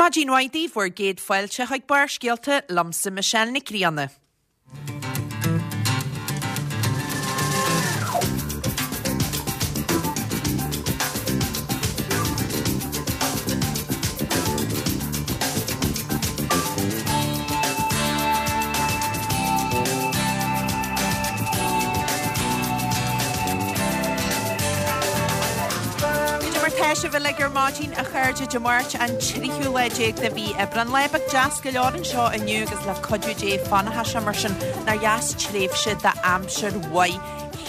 Maidin mhaith daoibh, bhur gcéad fáilte chuig Barrscéalta, liomsa Michelle Nic Grianna. Cad é mar tá sibh uilig ar maidin, a chairde, Dé Máirt an tríú lá déag de mhí Aibreán. Lá beag deas go leor anseo inniu agus le cuidiú Dé fanfaidh sé mar sin. Nár dheas tréimhse d'aimsir mhaith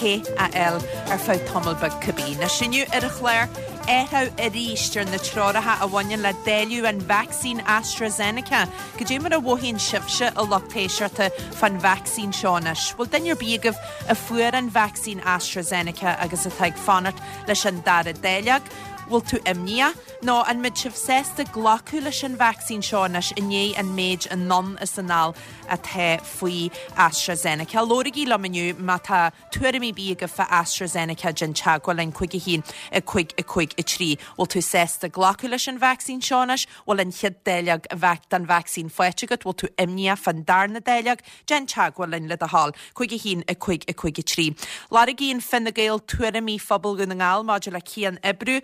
the a fháil ar feadh tamall beag cibé. Anois inniu ar an chlár, athrú arís ar na treoracha a bhaineann le dáileadh an vacsaín AstraZeneca. Cad é mar a mhothaíonn sibhse, a lucht éisteachta, fán vacsaín seo anois? Bhfuil duine ar bith agaibh a fuair an vacsaín AstraZeneca agus atá ag fanacht leis an dara dáileog? Bhfuil tú imníoch? Nó an mbeidh sibh sásta glacadh leis an vacsaín seo anois i ndiaidh an méid anonn is anall atá faoi AstraZeneca? Labhraigí liom inniu má tá tuairimí ar bith agaibh fá AstraZeneca, déan teagmháil linn 5 1 5 5 3. Bhfuil tú sásta glacadh leis an vacsaín seo anois? Bhfuil an chéad dáileog den vacsaín faighte agat? Bhfuil tú imníoch fán darna dáileog? Déan teagmháil linn le do thoil. 5 1 5 5 3. Lorgaíonn Fine Gael tuairimí phobal Dhún na nGall maidir le cian-oibriú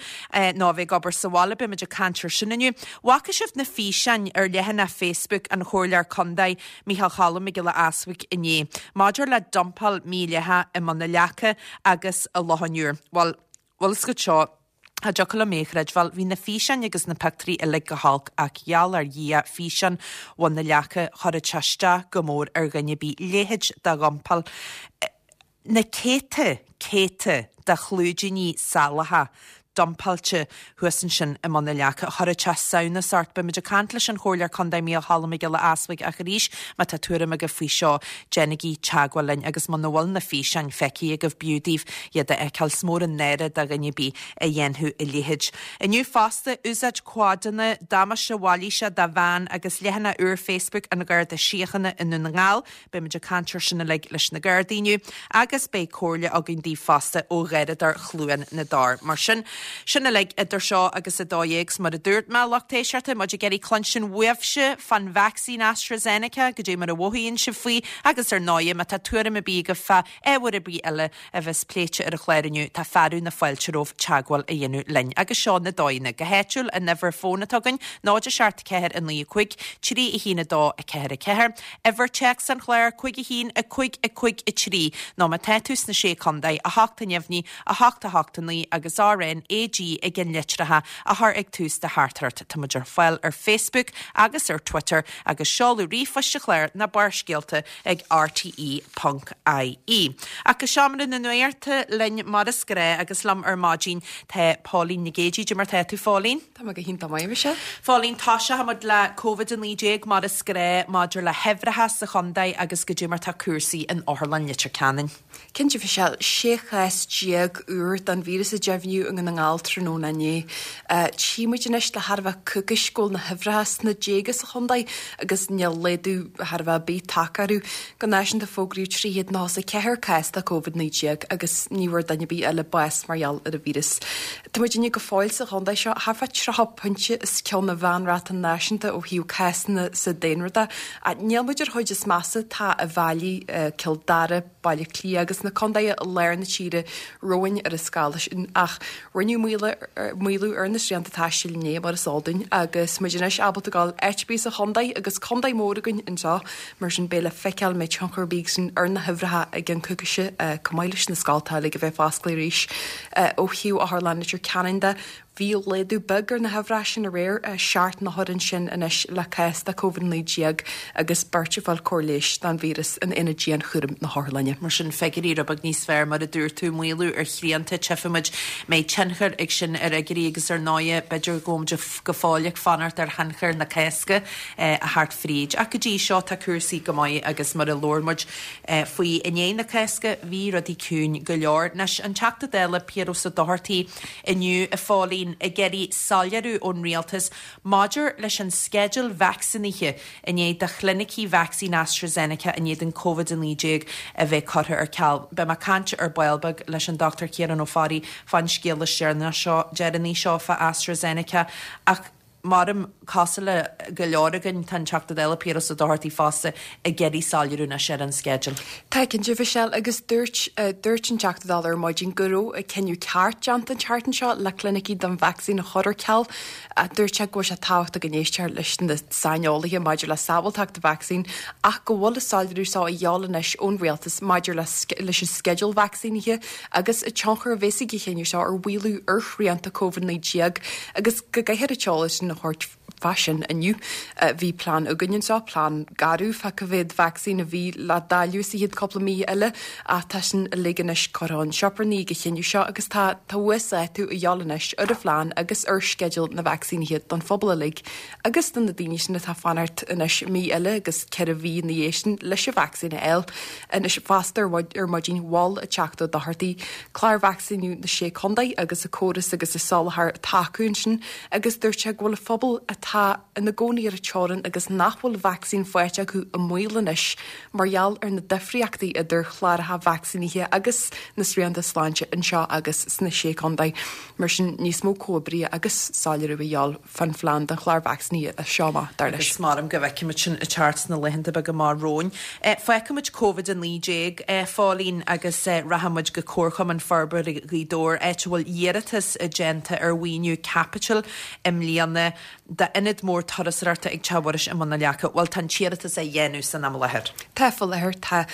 nó a bheith ag obair sa bhaile. Beidh muid ag caint ar sin inniu. Bhfaca sibh na físeáin ar leathanach Facebook an Chomhairleoir Contae Micheál Cholm Mac Giolla Easbuig inné maidir le dumpáil mhídhleathach i mBun na Leaca agus i Loch an Iúir. Bhuel, bhfuil fhios agat seo, Cha dtiocfadh liom é a chreidbheáil. Bhí na físeáin agus na pictiúirí uilig go holc ach gheall ar Dhia, físeán Bhun na Leaca, chuirfeadh sé isteach go mór ar dhuine ar bith. Leithéid de dhumpáil. Na céadta, céadta de chlúidíní salacha dumpáilte thuas ansin i mBun na Leaca. Chuirfeadh sé samhnas ort. Beidh muid ag caint leis an Chomhairleoir Contae Micheál Cholm Mac Giolla Easbuig ach arís má tá tuairim agaibh faoi seo, déanaigí teagmháil linn agus muna bhfuil na físeáin feicthe agaibh b'fhiú daoibh iad a fheiceáil. Is mór an náire do dhuine ar bith a dhéanfadh a leithéid. Inniu fosta, úsáid quadanna, damáiste mhailíseach do bhean agus leathanach úr Facebook an Gharda Síochána i nDún na nGall. Beidh muid ag caint ar sin uilig leis na Gardaí inniu agus beidh comhairle againn daoibh fosta ó Gharradóir Chluain na dTor. Mar sin, sin uilig idir seo agus 12:00 's mar a dúirt mé, lucht éisteachta, muid ag iarraidh cluinstin uaibhse fán vacsaín AstraZeneca, goidé mar a mhothaíonn sibh faoi agus ar ndóighe má tá tuairim ar bith agaibh fá ábhar ar bith eile a bheas pléite ar an chlár inniu, tá fearadh na fáilte romhaibh teagmháil a dhéanamh linn. Agus seo na dóigheanna. Go háitiúil, an uimhir fóin atá againn, 0 7 4 9 5 3 1 2 4 4, uimhir téacs an chláir, 5 1 5 5 3, nó má tá tú sna Sé Contae, 8 neamhní, 8 8 9 agus RNAG ag an litreacha a chur ag tús do theachtaireacht. Tá muid ar fáil ar Facebook agus ar Twitter agus seoladh ríomhphoist an chláir ná Barrscéalta ag rte ponc ie. Ach go seomra na nuachta linn mar is gnáth agus liom ar maidin tá Póilín Nic Géidigh. Cad é mar tá tú, Phóilín? Tá mé go hiontach maith, Michelle. Phóilín, toiseoidh muid le Covid-19 mar is gnáth maidir le huimhreacha sa chontae agus cad é mar tá cúrsaí in Otharlann Leitir Ceanainn. Cinnte, Michelle, 16 chás úr den víreas a deimhníodh i nDún na nGall tráthnóna inné. Tchí muid anois le thar a bheith coicís go bhfuil na huimhreacha sna déaga sa chontae agus níl laghdú thar a bheith ar bith tagtha orthu. Go náisiúnta fógraíodh 394 cás de Covid-19 agus ní bhfuair duine ar bith eile bás mar gheall ar an víreas. Tá muidinne go fóill sa chontae seo thart fá 30 pointe os cionn an mheánráta náisiúnta ó thaobh cásanna sa daonra de. Ach níl muid ar chuid is measa, tá Uíbh Fhailí, Cill Dara, Baile Átha Cliath agus na contaetha i lár na tíre romhainn ar an scála sin. Ach rinneadh maolú ar na srianta taistil inné, mar is eol dúinn, agus muid anois ábalta dul áit ar bith sa chontae agus contae mór againn anseo. Mar sin, beidh le feiceáil an mbeidh tionchar ar bith aige sin ar na huimhreacha i gceann coicíse, chomh maith leis na scoltacha uilig a bheith fosclaithe arís. Ó thaobh Otharlann Leitir Ceanainn de, Bhí laghdú beag ar na huimhreacha sin aréir, 7 n-othar ansin anois le cás de Covid-19 agus beirt ag fáil cóir leighis don víreas in aonad dianchúraim na hotharlainne. Mar sin, figiúirí rud beag níos fearr, mar a dúirt tú, maolú ar shrianta, tchífidh muid an mbeidh tionchar ag sin ar fhigiúirí agus ar ndóighe, b'fhéidir go bhfuil muid go fóill ag fanacht ar thionchar na Cásca a theacht fríd. Ach go dtí seo tá cúrsaí go maith agus mar a labhair muid faoi i ndiaidh na Cásca, bhí rudaí ciúin go leor. Anois, an Teachta Dála Piaras Ó Dochartaigh, inniu, a Phóilín, ag iarraidh soiléiriú ón Rialtas maidir leis an sceideal vacsaínithe i ndiaidh do chlinicí vacsaín AstraZeneca in éadan Covid-19 a bheith curtha ar ceal. Beidh mé ag caint ar ball beag leis an Dr Ciarán Ó Fearraigh fán scéal is deireanaí seo fá AstraZeneca ach. Maram, cosúil le go leor againn, tá an Teachta Dála Piaras Ó Dochartaigh fosta ag iarraidh soiléiriú anois ar an sceideal. Tá cinnte, Michelle, agus dúirt, dúirt an Teachta Dála ar maidin go raibh an cinneadh ceart déanta an tseachtain seo le clinicí don vacsaín a chur ar ceal. Dúirt sé go bhfuil sé tábhachtach go n-éistear leis na saineolaithe maidir le sábháilteacht an vacsaín ach go bhfuil an soiléiriú seo a dhíobháil anois ón rialtas maidir leis an sceideal vacsaínithe agus an tionchar a bheas ag an chinneadh seo ar mhaolú ar shrianta Covid-19 agus go gcaithfear an t-eolas sin a thabhairt fá sin inniu. Bhí plean againn anseo, plean garbh fá cá mhéad vacsaín a bhí le dáileadh sa chéad cúpla mí eile ach tá sin uilig anois curtha chun sioparnaí ag an chinneadh seo agus tá tá uasdátú a dhíobháil anois ar an phlean agus ar sceideal na vacsaínithe don phobal uilig agus do na daoine sin atá ag fanacht anois mí eile agus 4 mhí ina dhiaidh sin leis an vacsaín a fháil. Anois fosta ar maidin mhol an Teachta Ó Dochartaigh clár vacsaíniú na Sé Contae agus an córas agus an soláthar atá acu ansin agus dúirt sé go bhfuil an phobal atá ina gcónaí ar an teorainn agus nach bhfuil vacsaín faighte acu i mbaol anois mar gheall ar na difríochtaí idir chláracha vacsaínithe agus na srianta sláinte anseo agus sna Sé Contae. Mar sin níos mó comhoibrithe agus soiléiriú a dhíobháil. fán phlean don chlár vacsaínithe as seo amach, dar leis. Agus maram go bhfeicfimid sin ag teacht sna laethanta beaga amach romhainn. Fágfaimid Covid-19, a Phóilín, agus rachaimid go Comharchumann Forbartha Ghaoth Dobhair, áit a bhfuil iarratas déanta ar mhaoiniú caipitil i mbliana d'ionad mór turasóireachta ag Teach Mhuiris i mBun na Leaca. Bhuel, tá an t-iarratas á dhéanamh san am i láthair. Tá faoi láthair. Tá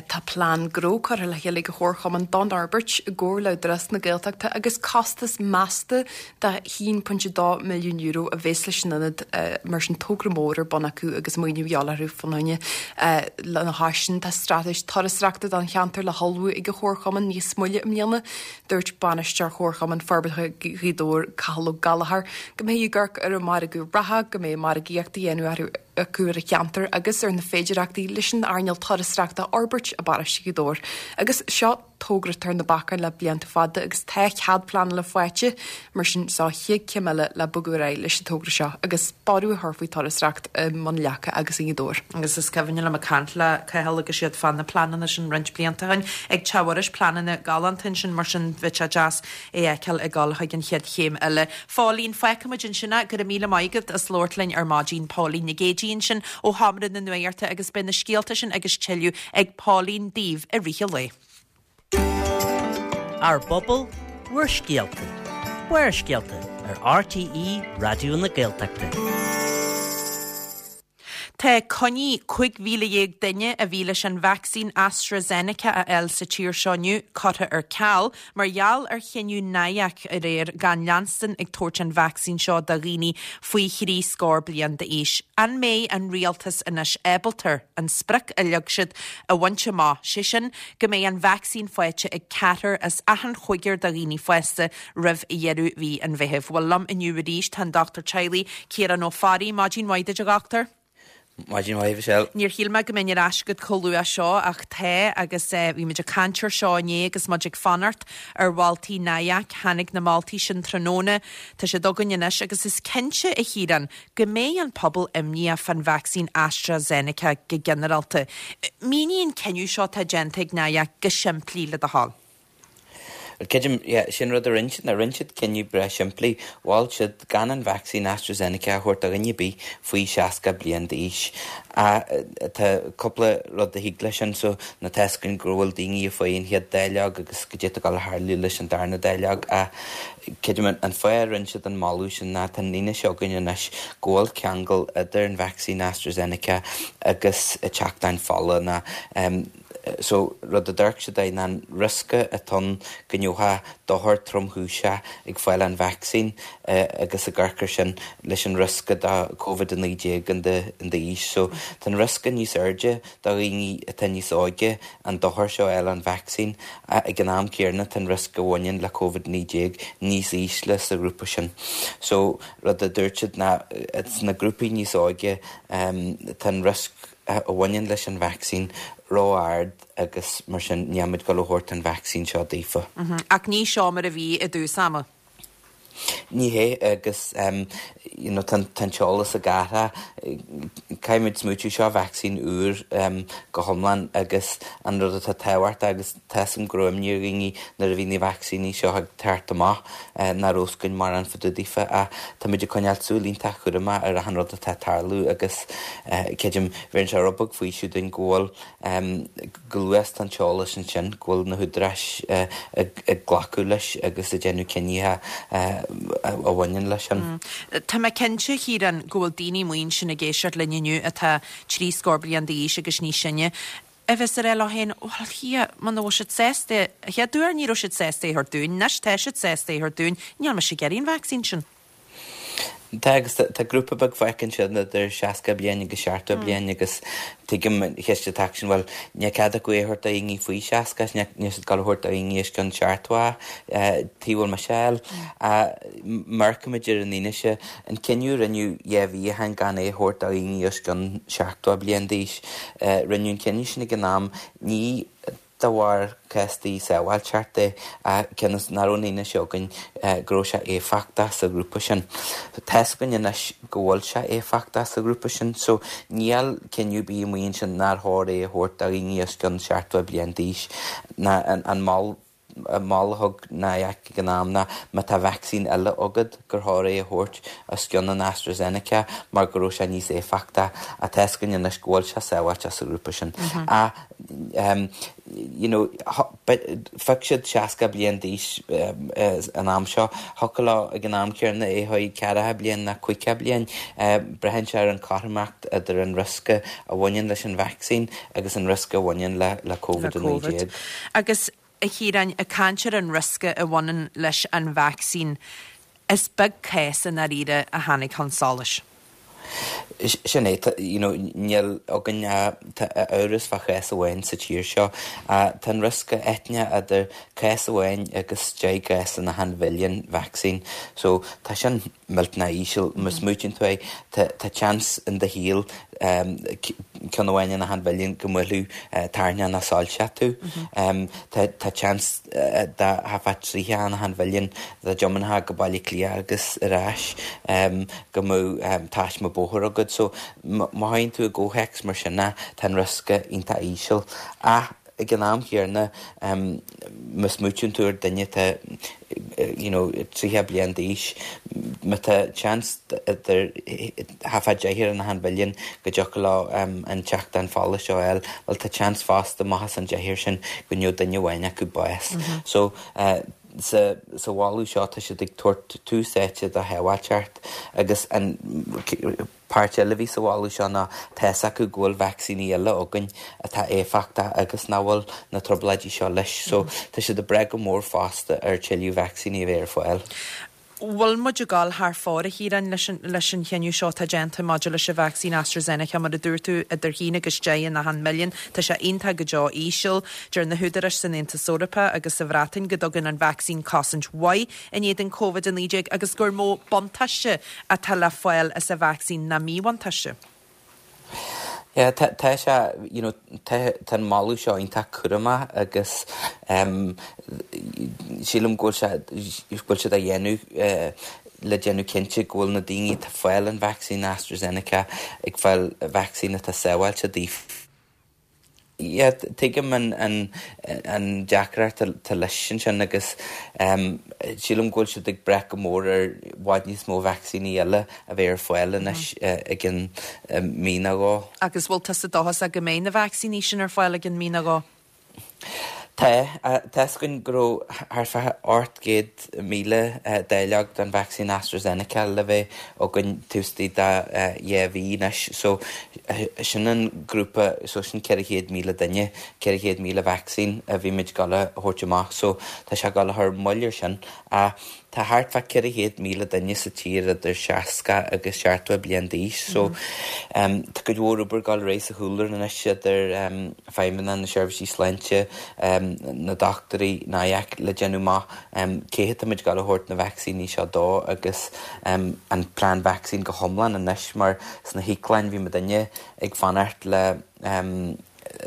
tá plean gnó curtha le chéile ag an Chomharchumann don fhorbairt i gcomhar le Údarás na Gaeltachta agus costas measta de €1.2 milliún a bheas leis an ionad, mar sin togra mór ar bun acu agus maoiniú a dhíobháil orthu fána choinne. Lena chois sin, tá straitéis turasóireachta don cheantar le hullmhú ag an Chomharchumann níos moille i mbliana. Dúirt Bainisteoir Chomharchumann Forbartha Ghaoth Dobhair, Cathal Ó Gallchóir, go mbeidh ag amharc ar an margadh reatha, go mbeidh margaíocht á dhéanamh orthu acu ar an cheantar agus ar na féidearthachtaí leis an earnáil turasóireachta a fhorbairt i bparóiste Ghaoth Dobhair. Agus seo togra atá ar na bacáin le blianta fada agus tá cead pleanála faighte, mar sin seo an chéad chéim eile le bogadh ar aghaidh leis an togra seo agus borradh a chur faoi turasóireacht i mBun Leaca agus i nGaoth Dobhair. Agus is cuimhin liom ag caint le Cathal agus iad fá na pleananna sin roinnt blianta ó shin ag Teach Mhuiris, pleananna galánta ansin, mar sin bheadh sé deas é a fheiceáil ag dul chuig an chéad chéim eile. Phóilín, fágfaimid ansin é, go raibh míle maith agat as labhairt linn ar maidin. Póilín Nic Géidigh ansin ó Sheomra na Nuachta agus beidh na scéalta sin agus tuilleadh ag Póilín daoibh i rith an lae. Ár bpobal, bhur scéalta. Barrscéalta ar RTÉ Raidió na Gaeltachta. Tá coinní 15,000 duine a bhí leis an vacsaín AstraZeneca a fháil sa tír seo inniu curtha ar ceal mar gheall ar chinneadh NIAC aréir gan leanstan ag tabhairt an vacsaín seo do dhaoine faoi thrí scór bliain d'aois. An mbeidh an rialtas anois ábalta an sprioc a leag siad a bhaint amach, sé sin go mbeidh an vacsaín faighte ag ceathrar as achan chúigear de dhaoine fásta roimh dheireadh mhí an Mheithimh. Bhuel, liom inniu arís tá an Dochtúir Teaghlaigh, Ciarán Ó Fearraigh. Maidin mhaith duit, a Dhochtúir. Maidin mhaith, Michelle. Níor shíl mé go mbeinn ar ais agat chomh luath seo ach tá agus bhí muid ag caint air seo inné agus muid ag fanacht ar mholtaí NIAC. Tháinig na moltaí sin tráthnóna. Tá siad againn anois agus is cinnte, a Chiaráin, go mbeidh an pobal imníoch fán vacsaín AstraZeneca go ginearálta. Mínigh an cinneadh seo atá déanta ag NIAC go simplí le do thoil. Creidim, yeah, sin rud a rinne siad, ná rinne siad cinneadh breá simplí. Mhol siad gan an vacsaín AstraZeneca a thabhairt do dhuine ar bith faoi 60 bliain d'aois. Tá cúpla rud a thig leis sin, so ná tá fhios againn go bhfuil daoine ag fáil an chéad dáileog agus goidé atá ag dul a tharlú leis an darna dáileog. Creidim an fáth a rinne siad an moladh sin ná tá an fhianaise againn anois go bhfuil ceangal idir an vacsaín AstraZeneca agus teachtáin fola ná So, rud a d'amharc siad air ná an riosca atá ann go ngeofá dochar tromchúiseach ag fáil an vacsaín agus ag amharc air sin leis an riosca do Covid-19 in d'aois. So, tá an riosca níos airde do dhaoine atá níos óige an dochar seo a fháil ón vacsaín. Ag an am céanna tá an riosca a bhaineann le Covid-19 níos ísle sa ghrúpa sin. So, rud a dúirt siad ná sna grúpaí níos óige tá an riosca a bhaineann leis an vacsaín ró-ard agus mar sin níl muid ag dul a thabhairt an vacsaín seo daofa. Ach ní seo mar a bhí i dtús ama. Ní hé agus you know tá an t-eolas ag athrú. Caithfidh muid smaoitiú seo vacsaín úr go hiomlán agus an rud atá tábhachtach agus tá 'fhios a'm go raibh imní ar dhaoine nuair a bhí na vacsaíní seo ag teacht amach nach raibh 'fhios againn mórán fá dtaobh daofa ach tá muid ag coinneáil súil iontach chúramach ar achan rud atá ag tarlú agus creidim bheireann sé rud beag faoiseamh dúinn go bhfuil Go luath tá an t-eolas ansin go bhfuil na húdaráis ag glacadh leis agus ag déanamh cinnithe a bhaineann leis sin. Tá mé cinnte, a Chiaráin, go bhfuil daoine amuigh ansin ag éisteacht linn inniu atá trí scór bliain d'aois agus níos sine, a bheas ag rá leo féin, bhuel, Dhia, muna bhfuil siad sásta, an chéad uair ní raibh siad sásta é a thabhairt dúinn, anois tá siad sásta é a thabhairt dúinn, níl mise ag iarraidh an vacsaín sin. Tá agus tá grúpa beag fágtha ansin idir 60 bliain agus 70 bliain agus tuigim an cheist atá acu sin, bhuel, níl cead acu é a thabhairt do dhaoine faoi 60 is níl siad ag dul a thabhairt do dhaoine os cionn 70, cad chuige a bhfuil mise a fháil. Amharcaimid ar an fhianaise, an cinneadh a rinneadh dhá mhí ó shin gan é a thabhairt do dhaoine os cionn 70 bliain d'aois, rinneadh an cinneadh sin ag an am, ní de bharr cúrsaí sábháilteachta ach cionn is nach raibh an fhianaise againn go raibh sé éifeachtach sa ghrúpa sin. Tá's againn anois go bhfuil sé éifeachtach sa ghrúpa sin so níl cinneadh ar bith amuigh ansin nár chóir é a thabhairt do dhaoine os cionn 70 bliain d'aois. Ná an moladh a thug NIAC ag an am ná má tá vacsaín eile agat gur chóir é a thabhairt os cionn an AstraZeneca mar go raibh sé níos éifeachtaí ach tá's againn anois go bhfuil sé sábháilte sa ghrúpa sin. Ach you know phioc siad 60 bliain d'aois an am seo, thiocfadh leo ag an am céanna é a chur 40 bliain ná 50 bliain. Braitheann sé ar an chothromaíocht idir an riosca a bhaineann leis an vacsaín agus an riosca a bhaineann le Covid-19. Agus a Chiaráin, ag caint ar an riosca a bhaineann leis an vacsaín, is beag cás i ndáiríre a tháinig chun solais. Sin é, you know, níl againn ach amhras fá chás amháin sa tír seo. Tá an riosca eitinne idir cás amháin agus 10 gcás in achan mhilliún vacsaín. So tá sin millteanach íseal. Má smaoitíonn tú é, tá seans in do shaol ceann amháin in achan mhilliún go mbuailfeadh tairneach nó soilseach tú. Tá seans de thart fá 30 in achan mhilliún dá dtiomáinfeá go Baile Átha Cliath agus ar ais go mbeadh taisme bóthair agat. So má théann tú i gcomhthéacs mar sin tá an riosca iontach íseal. Ach ag an am chéanna má smaoitíonn tú ar duine atá you know 30 bliain d'aois, má tá seans idir thart fá deichniúr in achan mhilliún go dtiocfadh leo an téachtán fola seo a fháil, bhuel tá seans fosta amach as an deichniúr sin go ngeobhadh duine amháin acu bás. So sa mholadh seo tá siad ag tabhairt tús áite do shábháilteacht agus an páirt eile a bhí sa mholadh seo ná tá's acu go bhfuil vacsaíní eile againn atá éifeachtach agus nach bhfuil na trioblóidí seo leis. So tá siad ag brath go mór fosta ar tuilleadh vacsaíní a bheith ar fáil. Bhfuil muid ag dul thar fóir, a Chiaráin, leis an leis an chinneadh seo atá déanta maidir leis an vacsaín AstraZeneca? Mar a dúirt tú, idir haon agus deich in achan milliún. Tá sé iontach go deo íseal. Deir na húdaráis san Aontas Eorpach agus sa Bhreatain go dtugann an vacsaín cosaint mhaith in éadan Covid-19 agus gur mó buntáiste atá le fáil as an vacsaín ná míbhuntáiste. Yeah, tá, tá sé, you know, tá, tá an moladh seo iontach cúramach agus em, sílim go bhfuil sé, go bhfuil siad á dhéanamh eh, le déanamh cinnte go bhfuil na daoine atá ag fáil an vacsaín AstraZeneca ag fáil vacsaín atá sábháilte daofa. Yeah, tuigim an an deacracht atá leis ansin agus sílim go bhfuil siad ag brath go mór ar i bhfad níos mó vacsaíní eile a bheith ar fáil anois i gcionn mí nó dhó. Agus bhfuil tusa dóchasach go mbeidh na vacsaíní sin ar fáil i gcionn mí nó dhó? Tá. Tá's againn go raibh thart fá 800,000 dáileog den vacsaín AstraZeneca le bheith againn taobh istigh de dhá mhí anois. So sin an grúpa, so sin 400,000 duine, 400,000 vacsaín a bhí muid ag dul a thabhairt amach. So tá sé ag dul a chur moill ar sin. Ach tá thart fá 400,000 duine sa tír idir 60 agus 70 bliain d'aois so tá cuid mhór obair ag dul ar aghaidh sa chúlra anois idir feidhmeannaigh na seirbhísí sláinte, na dochtúirí, NIAC le déanamh amach cé hiad atá muid ag dul a thabhairt na vacsaíní seo dó agus an plean vacsaín go hiomlán anois mar sna híoclanna bhí muidinne ag fanacht le.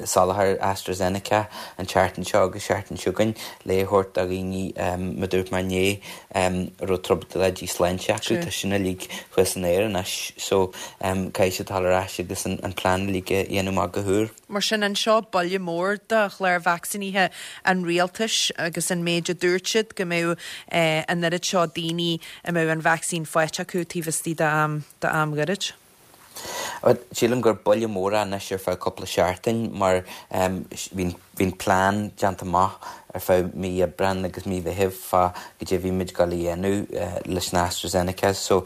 soláthar AstraZeneca an tseachtain seo agus seachtain seo chugainn le a thabhairt do dhaoine mar a dúirt mé inné a raibh trioblóidí sláinte acu, tá sin uilig thuas san aer anois so caithfidh siad dul ar ais agus an plean uilig a dhéanamh amach go húr. Mar sin, anseo buille mór do chlár vacsaínithe an rialtais agus an méid a dúirt siad go mbeadh an oiread seo daoine a mbeadh an vacsaín faighte acu taobh istigh d'am gairid. Sílim gur buille mór é anois ar feadh cúpla seachtain mar bhí an plean déanta amach ar feadh mí Aibreán agus mí Mheithimh fá goidé a bhí muid ag dul a dhéanamh leis na AstraZeneca so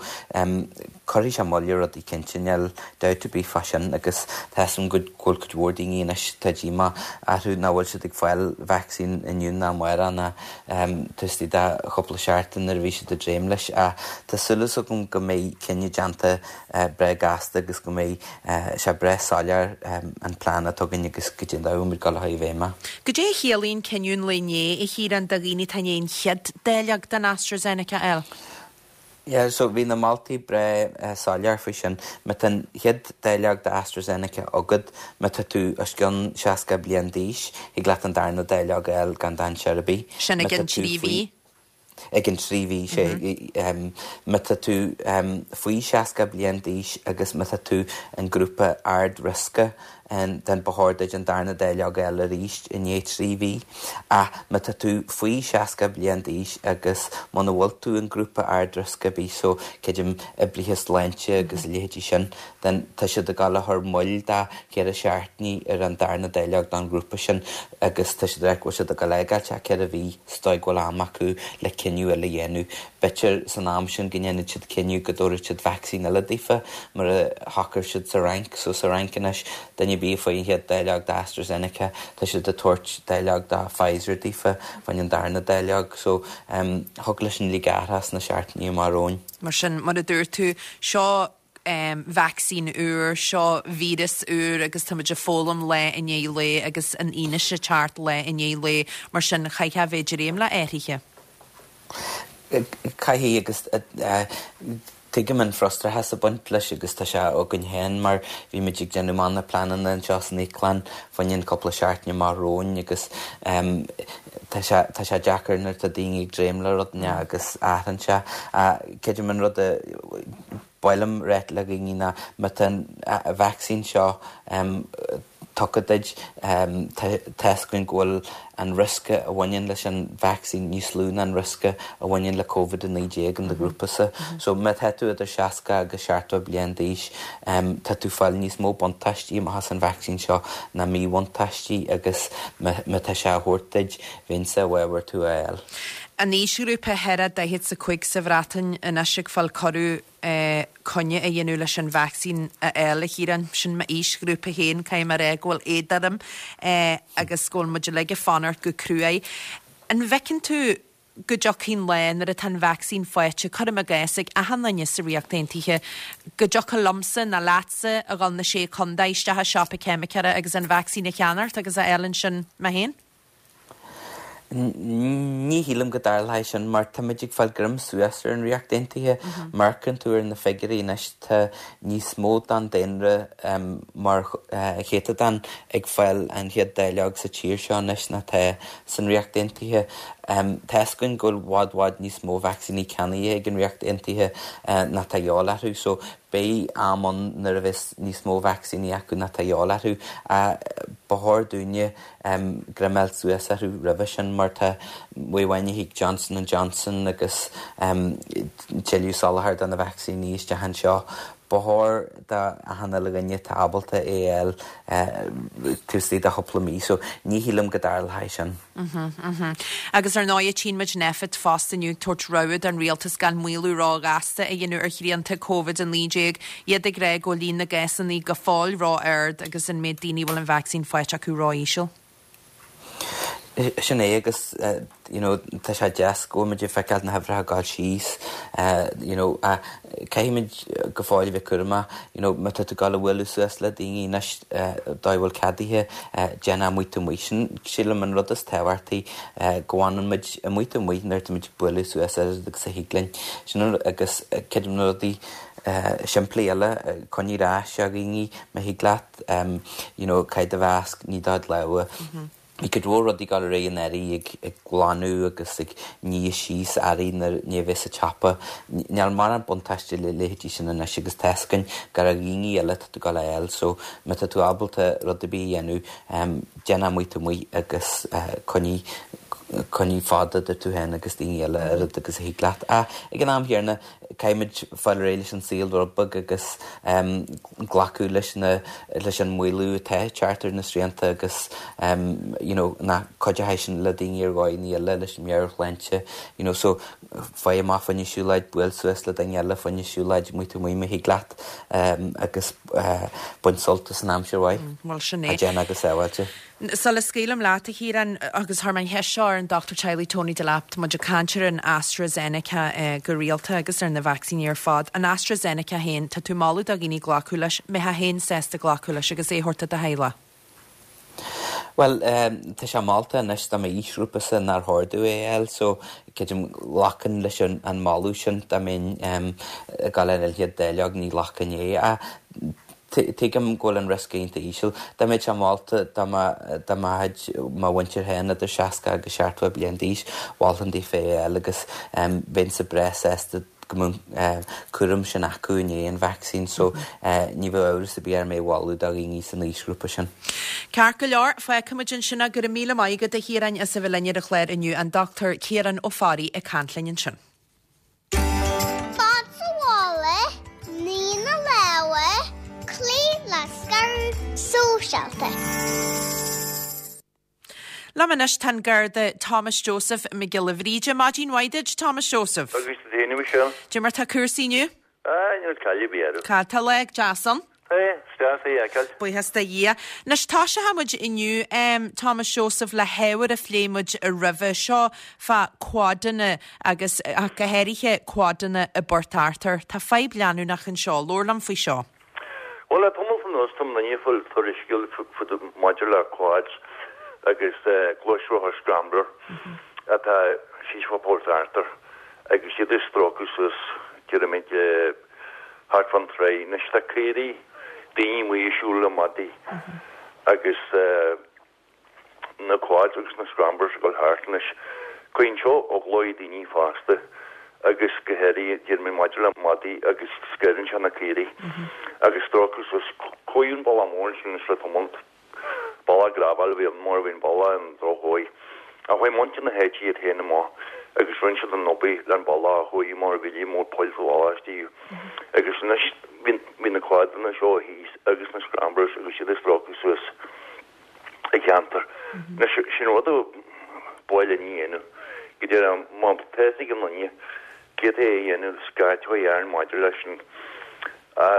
cuirfidh sé moill ar rudaí cinnte, níl dabht ar bith fá sin agus tá a fhios agam go bhfuil cuid mhór daoine anois tá díomá orthu nach bhfuil siad ag fáil vacsaín inniu ná amárach ná taobh istigh de chúpla seachtain nuair a bhí siad ag dréim leis ach tá súil agam go mbeidh cinneadh déanta breá gasta agus go mbeidh sé breá soiléir an plean atá againn agus goidé an dóigh a bhfuil muid ag dul a chur i bhfeidhm é. Goidé a chiallaíonn cinneadh an lae inné, a Chiaráin, do dhaoine atá i ndiaidh an chéad dáileog den AstraZeneca a fháil? Yeah, so bhí na moltaí breá soiléir faoi sin. Má tá an chéad dáileog de AstraZeneca agat, má tá tú os cionn 60 bliain d'aois, thig leat an darna dáileog a fháil gan dainséar ar bith. Sin i gcionn 3 mhí? I gcionn 3 mhí, sea. Má tá tú faoi 60 bliain d'aois agus má tá tú in grúpa ard-riosca, then ba chóir duit an darna dáileog a fháil arís i ndiaidh 3 mhí. Ach má tá tú faoi 60 bliain d'aois agus muna bhfuil tú in grúpa ard-riosca ar bith, so creidim oibrithe sláinte agus a leithéidí sin, then tá siad ag dul a chur moill de cheithre seachtainí ar an darna dáileog don ghrúpa sin agus tá siad ag rá go bhfuil siad ag dul a fhágáilt é 4 mhí sa dóigh go bhfuil am acu le cinneadh eile a dhéanamh. B'fhéidir san am sin go ndéanfaidh siad cinneadh go dtabharfaidh siad vacsaín eile daofa mar a shocraigh siad sa Fhrainc. So sa Fhrainc anois, duine ar bith a fuair an chéad dáileog de AstraZeneca, tá siad ag tabhairt dáileog de Pfizer daofa fá choinne an darna dáileog. So thig leis sin uilig athrú sna seachtainí amach romhainn. Mar sin, mar a dúirt tú, seo vacsaín úr, seo víreas úr agus táimid ag foghlaim lá i ndiaidh lae agus an fhianaise ag teacht lá i ndiaidh lae, mar sin chaithfeá a bheith ag dréim le athruithe. Caithfidh agus tuigim an frustrachas ag baint leis agus tá sé againn féin mar bhí muid ag déanamh amach na pleananna anseo san íoclann fá choinne an cúpla seachtain amach romhainn agus tá sé tá sé deacair nuair atá daoine ag dréim le rud agus athraíonn sé. Creidim an rud a Ba mhaith liom ráit le dhaoine ná má tá an vacsaín seo tugtha duit, tá fhios againn go bhfuil an riosca a bhaineann leis an vacsaín níos lú ná an riosca a bhaineann le Covid-19 in do ghrúpasa. So má tá tú idir 60 agus 70 bliain d'aois, tá tú fáil níos mó buntáistí amach as an vacsaín seo ná míbhuntáistí agus má tá sé á thabhairt duit, bheinnse i bhfabhar tú a fháil. An aoisghrúpa thar 45 sa Bhreatain anois ag fáil cuireadh coinne a dhéanamh leis an vacsaín a fháil, a Chiaráin. Sin m'aoisghrúpa féin, caithfidh mé a rá go bhfuil éad orm agus go bhfuil muid uilig ag fanacht go cruaidh. An bhfeiceann tú go dtiocfaidh an lá nuair atá an vacsaín faighte, cuirim i gcás, ag achan duine sa Ríocht Aontaithe, go dtiocfadh liomsa nó leatsa a dhul na Sé Chontae isteach i siopa ceimiceora agus an vacsaín a cheannacht agus a fháil ansin mé féin? Ní shílim go dtarlóidh sin mar táimid ag fáil greim suas ar an Ríocht Aontaithe. Má amharcann tú ar na figiúirí anois tá níos mó den daonra mar chéatadán ag fáil an chéad dáileog sa tír seo anois ná tá san Ríocht Aontaithe. Tá fhios againn go bhfuil bhfad bhfad níos mó vacsaíní ceannaithe ag an Ríocht Aontaithe ná tá de dhíobháil orthu so beidh am ann nuair a bheas níos mó vacsaíní acu ná tá de dhíobháil orthu. Ba chóir dúinne greim a fháil suas orthu roimhe sin mar tá uaidh amháin a thig Johnson and Johnson agus tuilleadh soláthair do na vacsaíní isteach anseo. Ba chóir do achan uile dhuine atá ábalta é a fháil taobh istigh de chúpla mí so ní shílim go dtarlóidh sin. Agus ar ndóigh tchíonn muid Nphet fosta inniu ag tabhairt rabhadh don rialtas gan maolú róghasta a dhéanamh ar shrianta Covid-19, iad ag rá go bhfuil líon na gcásanna go fóill ró-ard agus an méid daoine a bhfuil an vacsaín faighte acu ró-íseal. Sin é agus you know tá sé deas go bhfuil muid ag feiceáil na huimhreacha ag dul síos you know caithfimid go fóill a bheith cúramach you know má tá tú ag dul a bhualadh suas le daoine anois dóigh a bhfuil ceadaithe déan é amuigh taobh amuigh. Sin sílim an rud is tábhachtaí go bhfanann muid amuigh taobh amuigh nuair atá muid ag bualadh suas oiread agus a thig linn. Sin an agus creidim na rudaí simplí eile coinnigh ar ais ó dhaoine má thig leat you know caith do mhasc nigh do chuid lámha. Bhí cuid mhór rudaí ag dul ar aghaidh anuraidh ag glanadh agus ag ní síos earraí nuair a bheith sa tsiopa. Níl mórán buntáiste le leithéidí sin anois agus tá fhios againn gur ó dhaoine eile atá tú ag dul a fháil so má tá tú ábalta rud ar bith a dhéanamh déan é amuigh taobh amuigh agus coinnigh coinnigh fad idir tú féin agus daoine eile oiread agus a thig leat. Ach ag an am chéanna caithfimid fáil ar aghaidh leis an saol rud beag agus glacadh leis na leis an maolú atá ag teacht ar na srianta agus you know nach cuideoidh sin le daoine ar dhóigheanna eile leis an meabhairshláinte you know so faigh amach fá choinne siúlóid, buail suas le duine eile fá choinne siúlóid amuigh taobh amuigh má thig leat agus bain sult as an aimsir mhaith. Bhuel sin é. A déan go sábháilte. Sula scaoilim leat, a Chiaráin, agus chuir mé an cheist seo ar an dochtúir teaghlaigh Tony Delap, tá muid ag caint ar an AstraZeneca go rialta agus ar na vacsaíní ar fad. An AstraZeneca féin, tá tú ag moladh do dhaoine glacadh leis, mbeifeá féin sásta glacadh leis agus é a thabhairt do do theaghlach? Bhuel, tá sé molta anois do m'aoisghrúpasa nár chóir domh é a fháil so creidim ghlacfainn leis an moladh sin dá mbeinn ag dul ar an chéad dáileog ní ghlacfainn é. Ach Tuigim go bhfuil an riosca iontach íseal. Dá mbeadh sé molta do mo do mo chuid mo mhuintir féin idir 60 agus 70 bliain d'aois, mholfainn daofa é a fháil agus bheinnse breá sásta go mbeadh an cúram sin acu i ndiaidh an vacsaín so ní bheadh amhras ar bith orm é a mholadh do dhaoine san aoisghrúpa sin. Ceart go leor, fágfaimid ansin é. Go raibh míle maith agat a Chiaráin as a bheith linn ar an chlár inniu, an Dr Ciarán Ó Fearraigh ag caint linn ansin. Fan sa bhaile, nigh na lámha, cloígh le scaradh sóisialta. Liom anois tá an Garda Thomas Joseph Mac Giolla Bhríde. Maidin mhaith duit, Thomas Joseph. Agus duit féin, a Mhichelle. Cad é mar tá cúrsaí inniu? Ah, níl caill ar bith orthu. Tá, tá lá deas ann. Tá, is deas é a fheiceáil. Buíochas do Dhia. Anois, toiseochaidh muid inniu, Thomas Joseph, le hábhar a phléigh muid roimhe seo fá quadanna agus ach go háirithe quadanna i bPort Arthur. Tá fadhb leanúnach anseo. Labhair liom faoi seo. Bhuel, le tamall anuas, tá daoine ag fáil tuairiscí maidir le quads agus gluaisrothair scrambler atá síos fá Port Arthur agus iad ag stróiceadh suas, déarfaimid, thart fán tráigh. Anois tá caoirigh, daoine amuigh ag siúl le madaí agus na quads agus na scramblers ag dul thart anois. Cuireann seo eagla ar daoine fosta agus go háirithe déarfaimid maidir le madaí agus scanraíonn sé na caoirigh agus stróiceadh suas. Chuaigh an bealach mór ansin anois le tamall. Bealach gravel a bhí ann mar bhí an bealach i ndrochdhóigh. Ach chuaigh muintir na háite iad féin amach agus rinne siad an obair le an bealach a chóiriú mar bhí líon mór poill sa bhealach istigh. Agus anois bhí na quadanna seo thíos agus na scramblers agus iad ag stróiceadh suas an ceantar. Anois sin rud a ba mhaith linn a dhéanamh. Go deimhin má tá fhios ag aon duine cé atá é a dhéanamh scairt a chur orainn maidir leis sin. Tá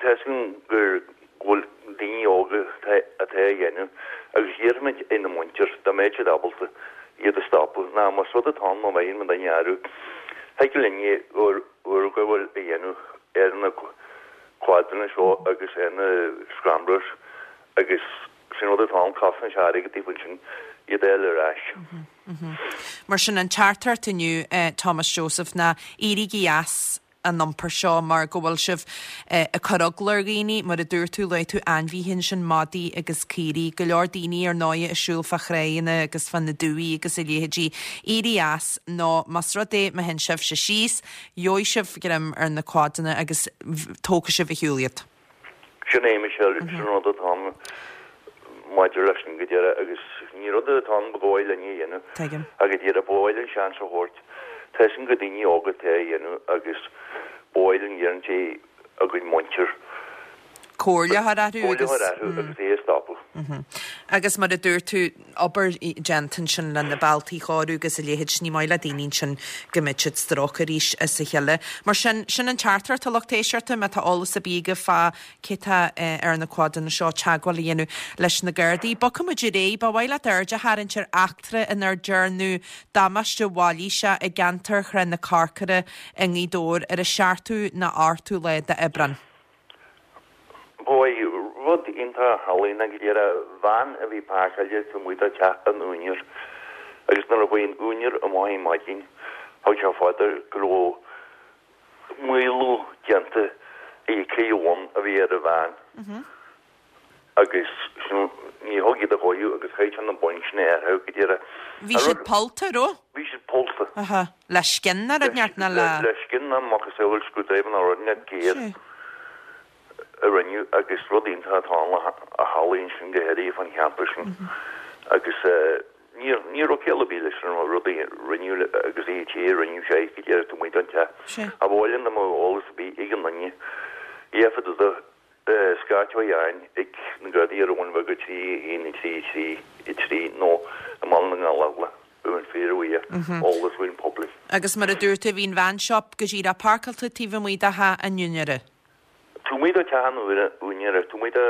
fhios againn gur go bhfuil daoine óga atá á dhéanamh agus iarrfaimid ar na muintir, dá mbeadh siad ábalta, iad a stopadh. Ná más rud atá ann má bhfaigheann muid duine orthu, thig linn urghabháil a dhéanamh ar na quadanna seo agus ar na scramblers agus sin rud atá ann, cosnaíonn sé airgead daofa ansin iad a fháil ar ais. Mar sin, an teachtaireacht inniu, Thomas Joseph, ná éirígí as. an iompar seo mar go bhfuil sibh ag cur eagla ar dhaoine, mar a dúirt tú, luaigh tú ainmhithe ansin, madaí agus caoirigh, go leor daoine ar ndóigh ag siúl fá thráigheanna agus fá na dumhaí agus a leithéidí. Éirigh as nó más rud é má théann sibhse síos, gheobhaidh sibh greim ar na quadanna agus tógfaidh sibh ar shiúl iad. Sin é, Michelle, sin an rud atá ann maidir leis sin go deireadh agus ní rud atá ann ba dhóigh linn a dhéanamh. Tuigim. Ach go díreach, ba mhaith linn seans a thabhairt. Tá fhios againn gur daoine óga atá á dhéanamh agus ba mhaith linn iarraidh ar a gcuid muintir Comhairle a chur orthu comhairle a chur orthu agus é a stopadh. Agus mar a dúirt tú, obair déanta ansin le na bealtaí a chóiriú agus a leithéid, ní maith le daoine ansin go mbeadh siad stróicthe arís as a chéile. Mar sin, sin an teachtaireacht a lucht éisteachta, má tá eolas ar bith agaibh fá cé tá ar na quadanna seo, teagmháil a dhéanamh leis na Gardaí. Bogfaidh muid ar aghaidh. Ba mhaith leat aird a tharraingt ar eachtra inar dearnadh damáiste mhailíseach i gceantar Shráid na Corcora i nGaoth Dobhair ar an seachtú nó ochtú lá d'Aibreán. Ba mhaith rud iontach a tharlaigh ná go díreach veain a bhí páirceáilte taobh amuigh de teach an úinéir agus nuair a chuaigh an úinéir amach ar maidin thug sé fá dear go raibh maolú déanta ag an ceithre bhonn a bhí ar an veain agus sin ní thug iad a chóiriú agus chaith sé na boinn sin a athrú go díreach. Bhí siad pollta, raibh? Bhí siad pollta. Aha. Le scian nó rud inteacht nó le. Le scian nó macasamhail screwdriver nó rud inteacht géar a rinneadh agus rud iontach atá ann a tharlaíonn sin go háirithe fán cheantar sin agus ní ní raibh ciall ar bith leis an rud a rinneadh agus é té a rinneadh sé go díreach taobh amuigh den teach. Ba mhaith linn dá mbeadh eolas ar bith ag aon duine iarrfaidh do Scairt a dhéanamh ag na Gardaí ar an Bhun Bheag 3 1 3 3 3 nó i mBaile na nGallóglach, bheinn fíorbhuíoch eolas uainn poiblí. Agus mar a dúirt tú, bhí an veain seo go díreach páirceáilte taobh amuigh de theach an úinéara. Taobh amuigh de theach an úinéara, taobh amuigh de,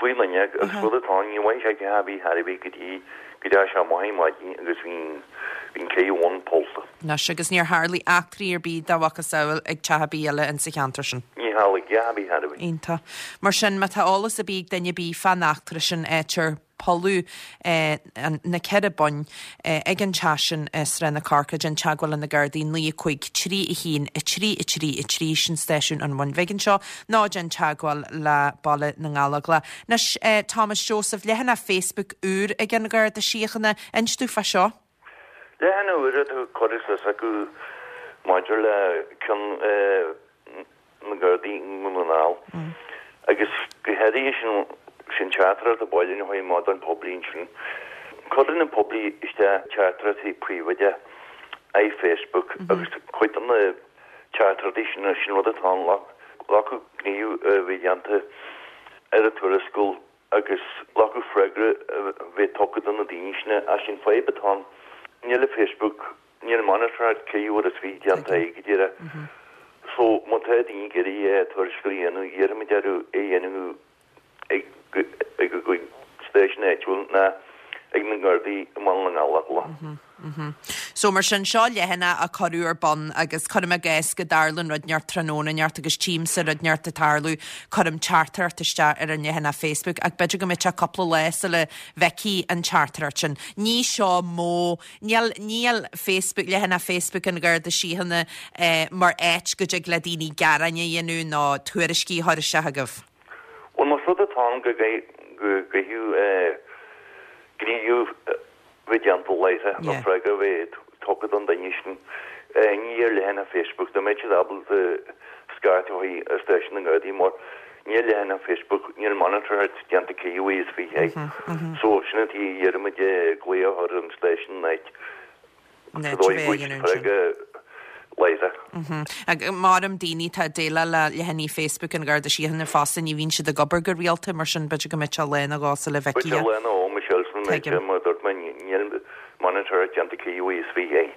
faoin fhuinneog agus rud atá ann, ní bhfaighidh sé teach ar bith thar a bith go dtí go dteachaigh sé amach ar maidin agus bhí an ceithre bhonn pollta. Anois, agus níor tharlaigh eachtraí ar bith dá mhacasamhail ag teach ar bith eile insa cheantar sin. Ní tharlaigh a dhath ar bith ar bith. Iontach. Mar sin, má tá eolas ar bith ag duine ar bith fán eachtra sin, áit ar polladh na ceithre boinn ag an teach sin i Srath na Corcra, déan teagmháil le na Gardaí 9 5 3 1 3 3 3, sin stáisiún an Bhun Bhig anseo, nó déan teagmháil le Baile na nGallóglach. Anois, Thomas Joseph, leathanach Facebook úr ag an Gharda Síochána, inis domh fá seo. Leathanach úr atá curtha suas acu maidir le cion na Gardaí i nDún na nGall agus go háirithe sin sin teachtaireacht a bailíonn chuig amach don poiblí ansin. Cuireann an poiblí isteach teachtaireachtaí príobháideach ar Facebook agus cuid de na teachtaireachtaí sin sin rud atá ann glacadh gníomh a bheith déanta ar an tuarascáil agus glacadh freagra a bheith tugtha do na daoine sin ach sin fadhb atá ann. Níl Facebook, níl monatóireacht cé uair is bhí déanta é go díreach. So má tá daoine ag iarraidh tuarascáil a dhéanamh, iarraimid orthu é a dhéanamh ag ag a gcuid stáisiún áitiúil ná ag na Gardaí i mBaile na nGallóglach. So mar sin, seo leathanach a cuireadh ar bun agus cuirim i gcás go dtarlaíonn rud inteacht tráthnóna inteacht agus tchímse rud inteacht ag tarlú, cuirim teachtaireacht isteach ar an leathanach Facebook ach b'fhéidir go mbeidh sé cúpla lá sula bhfeicfí an teachtaireacht sin. Ní seo modh, níl, níl Facebook, leathanach Facebook an Gharda Síochána mar áit go dtig le daoine gearáin a dhéanamh nó tuairiscí a chur isteach agaibh. Bhuel, más rud atá ann go gcaithfidh gníomh bheith déanta láithreach nó freagra a bheith tugtha don duine sin. Ní ar leathanach Facebook, dá mbeadh siad ábalta scairt a chuig stáisiún na nGardaí mar ní ar leathanach Facebook, níl monatóireacht déanta cé uaidh is faoi é. So sin an tuige a iarraimid glaoch a chur ar an stáisiún in áit sa dóigh go bhfaighidh siad freagra láithreach. Maram daoine atá ag déileáil le leathanaigh Facebook an Gharda Síochána fosta, ní bhíonn siad ag obair go rialta, mar sin b'fhéidir go mbeidh sé lá nó dhó sula bhfeicfidh. B'fhéidir lá nó dhó, Michelle, sula mbeidh sé, mar a dúirt mé, níl monatóireacht déanta cé uaidh is faoi é.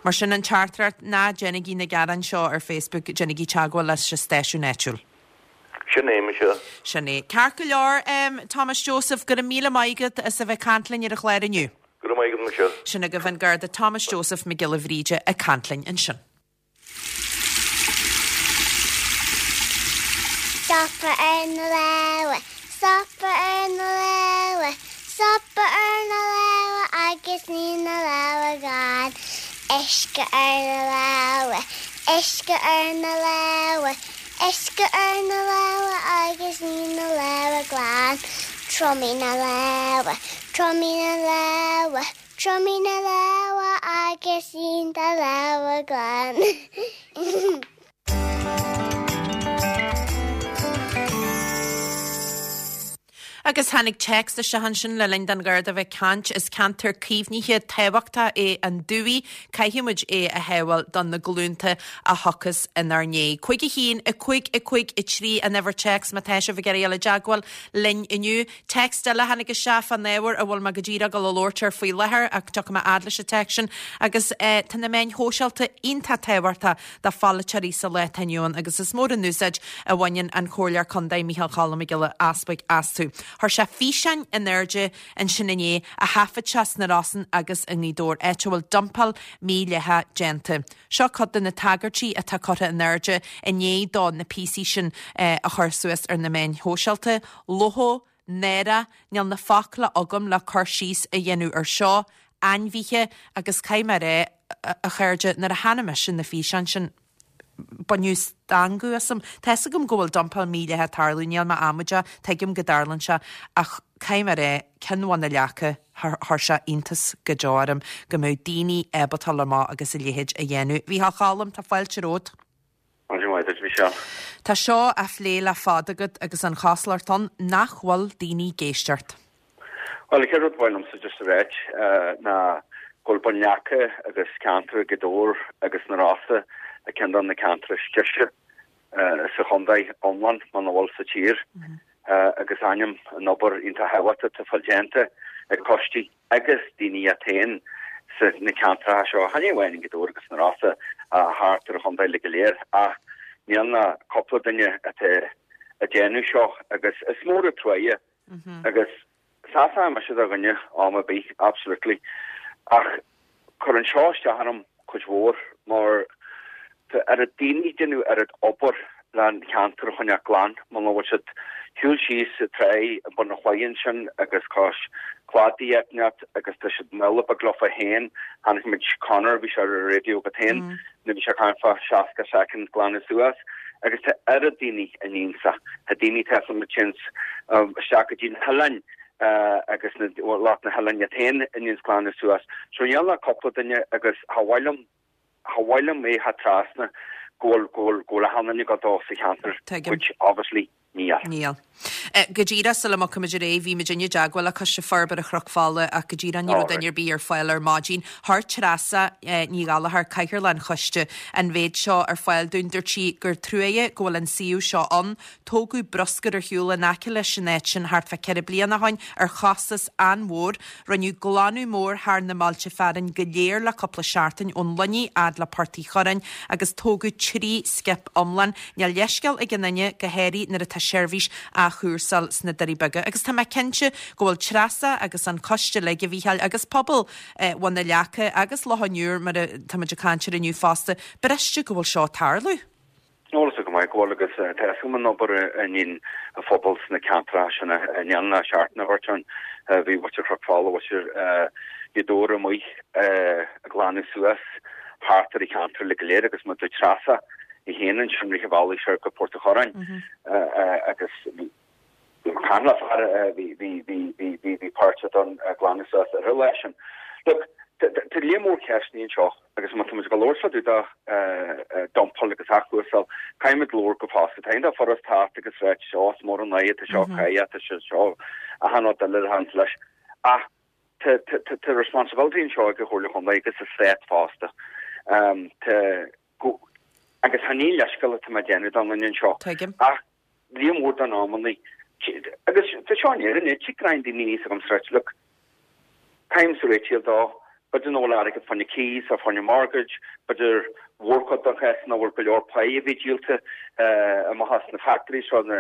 Mar sin an teachtaireacht, ná déanaigí na gearáin seo ar Facebook, déanaigí teagmháil leis an stáisiún áitiúil. Sin é, Michelle. Sin é. Ceart go leor, Thomas Joseph, go raibh míle maith agat as a bheith ag caint linn ar an chlár inniu. Go raibh maith agat, Michelle. Sin agaibh an Garda Thomas Joseph Mac Giolla Bhríde ag caint linn ansin. Stopadh ar na lámha, stopadh ar na lámha, stopadh ar na lámha agus nigh na lámha glan. Uisce ar na lámha, uisce ar na lámha, Uisce ar na lámha agus nigh na lámha glan. Triomaigh na lámha, triomaigh na lámha, triomaigh na lámha agus líon do lámha glan. Agus tháinig téacs isteach ansin le linn don Gharda bheith ag caint, is ceantar caomhnaithe tábhachtach é an Dumhaigh, caithfidh muid é a shábháil do na glúnta a thiocfas inár ndiaidh. 5 1 5 5 3 an uimhir téacs má tá sibh ag iarraidh dul i dteagmháil linn inniu. Téacs eile a tháinig isteach fán ábhar a bhfuil mé go díreach ag dul a labhairt air faoi láthair ach tiocfaidh mé fhad leis an téacs sin agus tá na meáin shóisialta iontach tábhachtach do pholaiteoirí sa lá atá inniu ann agus is mór an úsáid a bhaineann an Comhairleoir Contae Micheál Cholm Mac Giolla Easbuig astu. Chuir sé físeáin in airde ansin inné a thaifead sé sna Rosann agus i nGaoth Dobhair, áit a bhfuil dumpáil mhídhleathach déanta. Seo cuid de na tagairtí atá curtha in airde i ndiaidh dó na píosaí sin a chur suas ar na meáin shóisialta, Luchóg, náire, níl na focla agam le cur síos a dhéanamh ar seo, ainmhithe, agus caithfidh mé a rá, a chairde, nuair a chonaic mise na físeáin sin, baineadh stangadh asam. Tá fhios agam go bhfuil dumpáil mhídhleathach ag tarlú, níl mé amaideach, tuigim go dtarlaíonn sé, ach caithfidh mé a rá, ceann Bhun na Leaca, chuir sé iontas go deo orm go mbeadh daoine ábalta dul amach agus a leithéid a dhéanamh. A Mhícheál Choilm, tá fáilte romhat. Maidin mhaith duit, Michelle. Tá seo á phlé le fada agat agus an chosúlacht ann nach bhfuil daoine ag éisteacht. Bhuel, an chéad rud ba mhaith liomsa just a ráit ná go bhfuil Bun Leaca agus ceantar Ghaoth Dobhair agus na Rosa ar ceann de na ceantair is deise sa chontae iomlán, muna bhfuil sa tír, agus aithním an obair iontach thábhachtach atá fáil déanta ag coistí agus daoine iad féin sa na ceantracha seo, chan é amháin i nGaoth Dobhair agus na Rosa, thart ar an chontae uilig go léir, ach níl ach cúpla duine atá ag déanamh seo agus is mór an truaighe agus seasfaidh mise do dhuine am ar bith, absolutely, ach cuireann seo isteach orm cuid mhór mar tá oiread daoine ag déanamh oiread obair le an cheantar a choinneáil glan, muna bhfuil siad shiúl síos sa tráigh i bun an chlaí ansin agus cois cladaigh áit agus tá siad míle beag leofa féin, chonaic muid Conor, bhí sé ar an raidió agat féin, nuair bhí sé ag caint fá 60 soicind glanadh suas agus tá oiread daoine in ionsaí, tá daoine tá muid téann isteach go dtí na hoileáin agus na lucht na hoileáin iad féin in ionsaí glanadh suas. So níl ach cúpla duine agus cha mhaith liom, cha mhaith liom é theacht trasna go bhfuil, go bhfuil, go bhfuil achan duine ag dul dó sa cheantar, which obviously níl. Níl. Go díreach sula mbogfaimid ar aghaidh, bhí muid i dteagmháil le Coiste Forbartha Chnoc Fola ach go díreach ní raibh duine ar bith ar fáil ar maidin. Chuir Treasa Ní Ghallchóir, Cathaoirleach an Choiste, an mhéid seo ar fáil dúinn. Dúirt sí gur truaighe go bhfuil an suíomh seo ann. Tógadh bruscar ar shiúl in aice leis an áit sin thart fá cheithre bliana ó shin ar chostas an-mhór. Rinneadh glanadh mór thar na mbailte fearainn go léir le cúpla seachtain, ón Luinnigh fhad le Port Uí Churráin, agus tógadh 3 scip iomlán. Níl leithscéal ag aon duine, go háirithe nuair atá seirbhís á chúrsáil sna Doirí Beaga. Agus tá mé cinnte go bhfuil Treasa agus an coiste uilig, a Mhícheáil, agus pobal Bhun na Leaca agus Loch an Iúir, mar atá muid ag caint air inniu fosta, briste go bhfuil seo ag tarlú. Eolas go maith go bhfuil agus tá fhios agam an obair a níonn an phobal sna ceantracha sin a ndéanann a seachtain a thabhairt ann. Bhí muintir Chnoc Fola, muintir Ghaoth Dobhair amuigh ag glanadh suas thart ar an cheantar uilig go léir agus muid ag Treasa í féin ansin rith an bhealaigh soir go Port a' Chorráin agus Chan le fear a bhí bhí bhí bhí bhí bhí páirteach don glanadh suas ar an lá sin. Look, tá léar mór ceisteanna anseo agus má tá muid ag labhairt fá dtaobh de dumpáil agus athchúrsáil, caithfidh muid labhairt go fosta. Tá iontach furast teacht agus ráit, ó, is mór an fhadhb atá seo, caithfidh atá sé seo, achan rud eile a thaganns leis. Ach tá tá tá tá responsibility anseo ag an Chomhairle Chontae agus an Stát fosta. Tá go agus chan aon leithscéal atá mé ag déanamh don duine anseo. Tuigim. Ach Líon mór den amannaí. Agus tá seo in Éirinn, tig roinnt daoine aníos agam sa ráit, look, caithfimse réitíl dó, b'fhéidir nach bhfuil airgead fá choinne cíos nó fá choinne mortgage, b'fhéidir mhórchuid den chás nach bhfuil go leor pay a bhí díolta amach as na factories seo na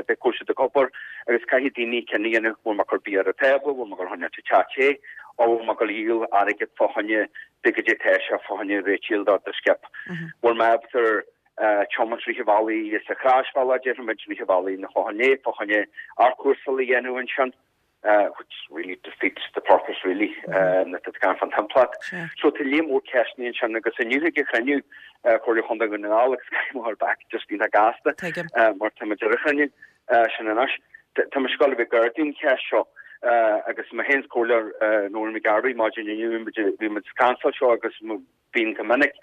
bheith go bhfuil siad ag obair agus caithfidh daoine cinneadh a dhéanamh, bhfuil mé ag cur bia ar an tábla, bhfuil mé ag dul a choinneáil teach te, ó bhfuil mé ag dul a dhíol airgead fá choinne de goidé tá sé fá choinne réitíl do do skip. Bhfuil mé ábalta tiomáint rith an bhealaigh is a chroisbhealach, déarfaimid, rith an bhealaigh na Clochán Léith fá choinne athchúrsáil a dhéanamh ansin, which really defeats the purpose really, nuair atá tú ag caint fán timpeallacht. So tá líon mór ceisteanna ansin agus inniu ag an chruinniú Comhairle Chontae Dhún na nGall agus caithfidh mé a dhul back just iontach gasta mar tá muid ar an chruinniú sin anois. Tá muid ag dul a bheith gar don cheist seo agus mé féin is Comhairleoir Noreen McGarvey maidin inniu bhí muid ag caint fá seo agus bíonn go minic.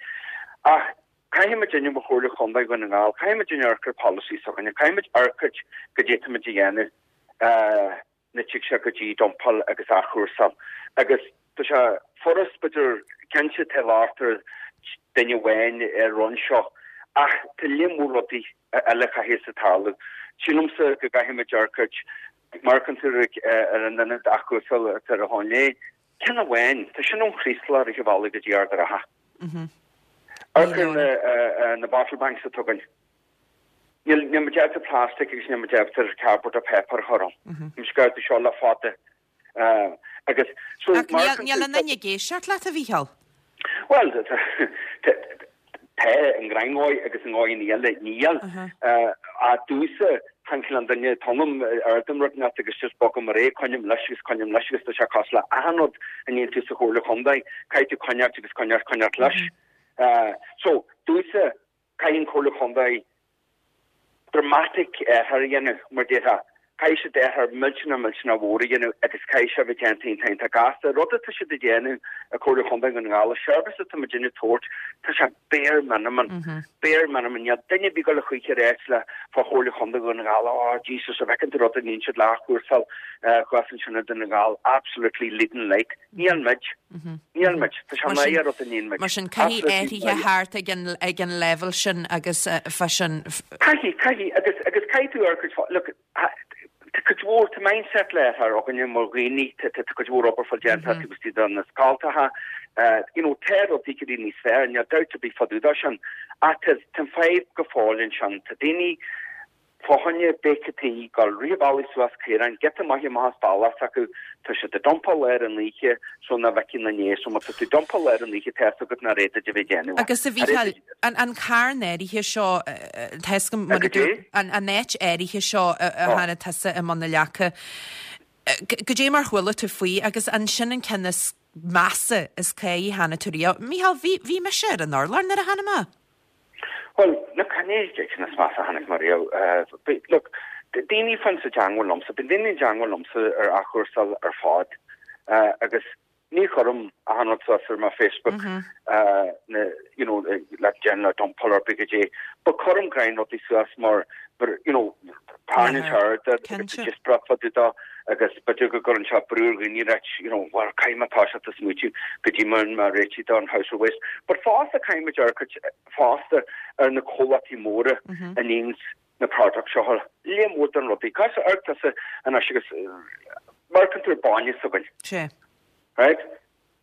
Ach Caithfidh muidinne mar Chomhairle Chontae Dhún na nGall, caithfidh muidinne amharc ar polasaí s'againne, caithfidh muid amharc goidé táimid a dhéanamh. nach dtig sé go dtí dumpáil agus athchúrsáil. Agus tá sé furast, b'fhéidir, cinnte tá locht ar duine amháin ar an seo ach tá lear mór rudaí eile a chaithfeas a tarlú. Sílimse go gcaithfimid amharc, má amharcann tú ar an ionad athchúrsála atá ar an Thóin Léith, ceann amháin, tá sin ón Chraoslach rith an bhealaigh go dtí Ard an Rátha. Amharc ar na bottle banks atá againn. Níl muid ábalta plastic agus níl muid ábalta cardboard or paper a chur ann. Tá muid ag ardú seo le fada. Agus so Ach níl aon duine ag éisteacht leat, a Mhícheáil. Bhuel, tá i ngnáth agus i ndóigheanna eile níl. Ach domhsa, chan cineál duine tonam ardaím rud inteacht agus just bogaim ar aghaidh, coinním leis agus coinním leis agus tá sé cosúil le achan rud a níonn tú sa Chomhairle Chontae, caithfidh tú coinneáilt agus coinneáilt coinneáilt leis. So, domhsa, Caithfidh an Chomhairle Chontae dramatic athrú a dhéanamh, mar déarfá. Caithfidh siad athrú millteanach millteanach mhór a dhéanamh agus caithfidh sé a bheith déanta iontach iontach gasta. Rud atá siad a dhéanamh i Comhairle Chontae Dhún na nGall, an seirbhís atá muidinne ag tabhairt, tá sé bare minimum, bare minimum. Níl duine ar bith ag dul a choíche a ráit le fá Chomhairle Chontae Dhún na nGall, oh Jesus, an bhfeiceann tú rud a níonn siad le athchúrsáil thuas ansin i Dún na nGall, absolutely leading light. Níl muid. Níl muid. Tá sé náire rud a níonn muid. Mar sin, caithfidh athruithe theacht ag an, ag an leibhéal sin agus fá sin. Caithfidh, caithfidh, agus, agus caithfidh tú ar cuid, look, tá cuid mhór, tá mindset le athrú againne mar dhaoine, tá, tá cuid mhór obair fáil déanta taobh istigh de na scoltacha, you know, tá rudaí ag éirí níos fearr, níl dabht ar bith fá dtaobh de sin, ach tá, tá an fadhb go fóill ansin, tá daoine, Fá choinne béicití, gabháil rith an bhealaigh suas caoráin, giota maith amach as bealach s'acu, tá siad ag dumpáil lár an oíche so nach bhfeicfidh na né, so má tá tú ag dumpáil lár an oíche tá fhios agat nach raibh duit a bheith ag déanamh. Agus a Mhícheáil, an carn áirithe seo, tá fhios agam, mar a dúirt, an áit áirithe seo a tháinig tusa i mBun na Leaca, goidé mar chuala tú faoi agus ansin an ceann is measa is cáidh a chonaic tú riamh. Mícheál, bhí, bhí mise ar an urlár nuair a chonaic mé. Bhuel, look, chan é an ceann is measa a chonaic mé riamh. Look, daoine fans i dteangmháil liomsa, bíonn daoine i dteangmháil liomsa ar athchúrsáil ar fad agus ní chuirim achan rud suas ar mo Facebook, na, you know, le déanamh le dumpáil ar bith goidé, but cuirim gnáth rudaí suas mar, you know, tarraingíonn sé aird agus tá díospóireacht fá dtaobh de agus b'fhéidir go gcuireann sé brú ar dhaoine ráit, you know, bhuel, caithfidh mé toiseacht ag smaoitiú goidé mar mar réitigh don household waste. But fosta caithfidh muid amharc fosta ar na comhlachtaí móra a níonns na products seo, lear mór den rudaí. Cos amharc tusa anois agus má amharcann tú ar bainne s'againn. Sea. Right?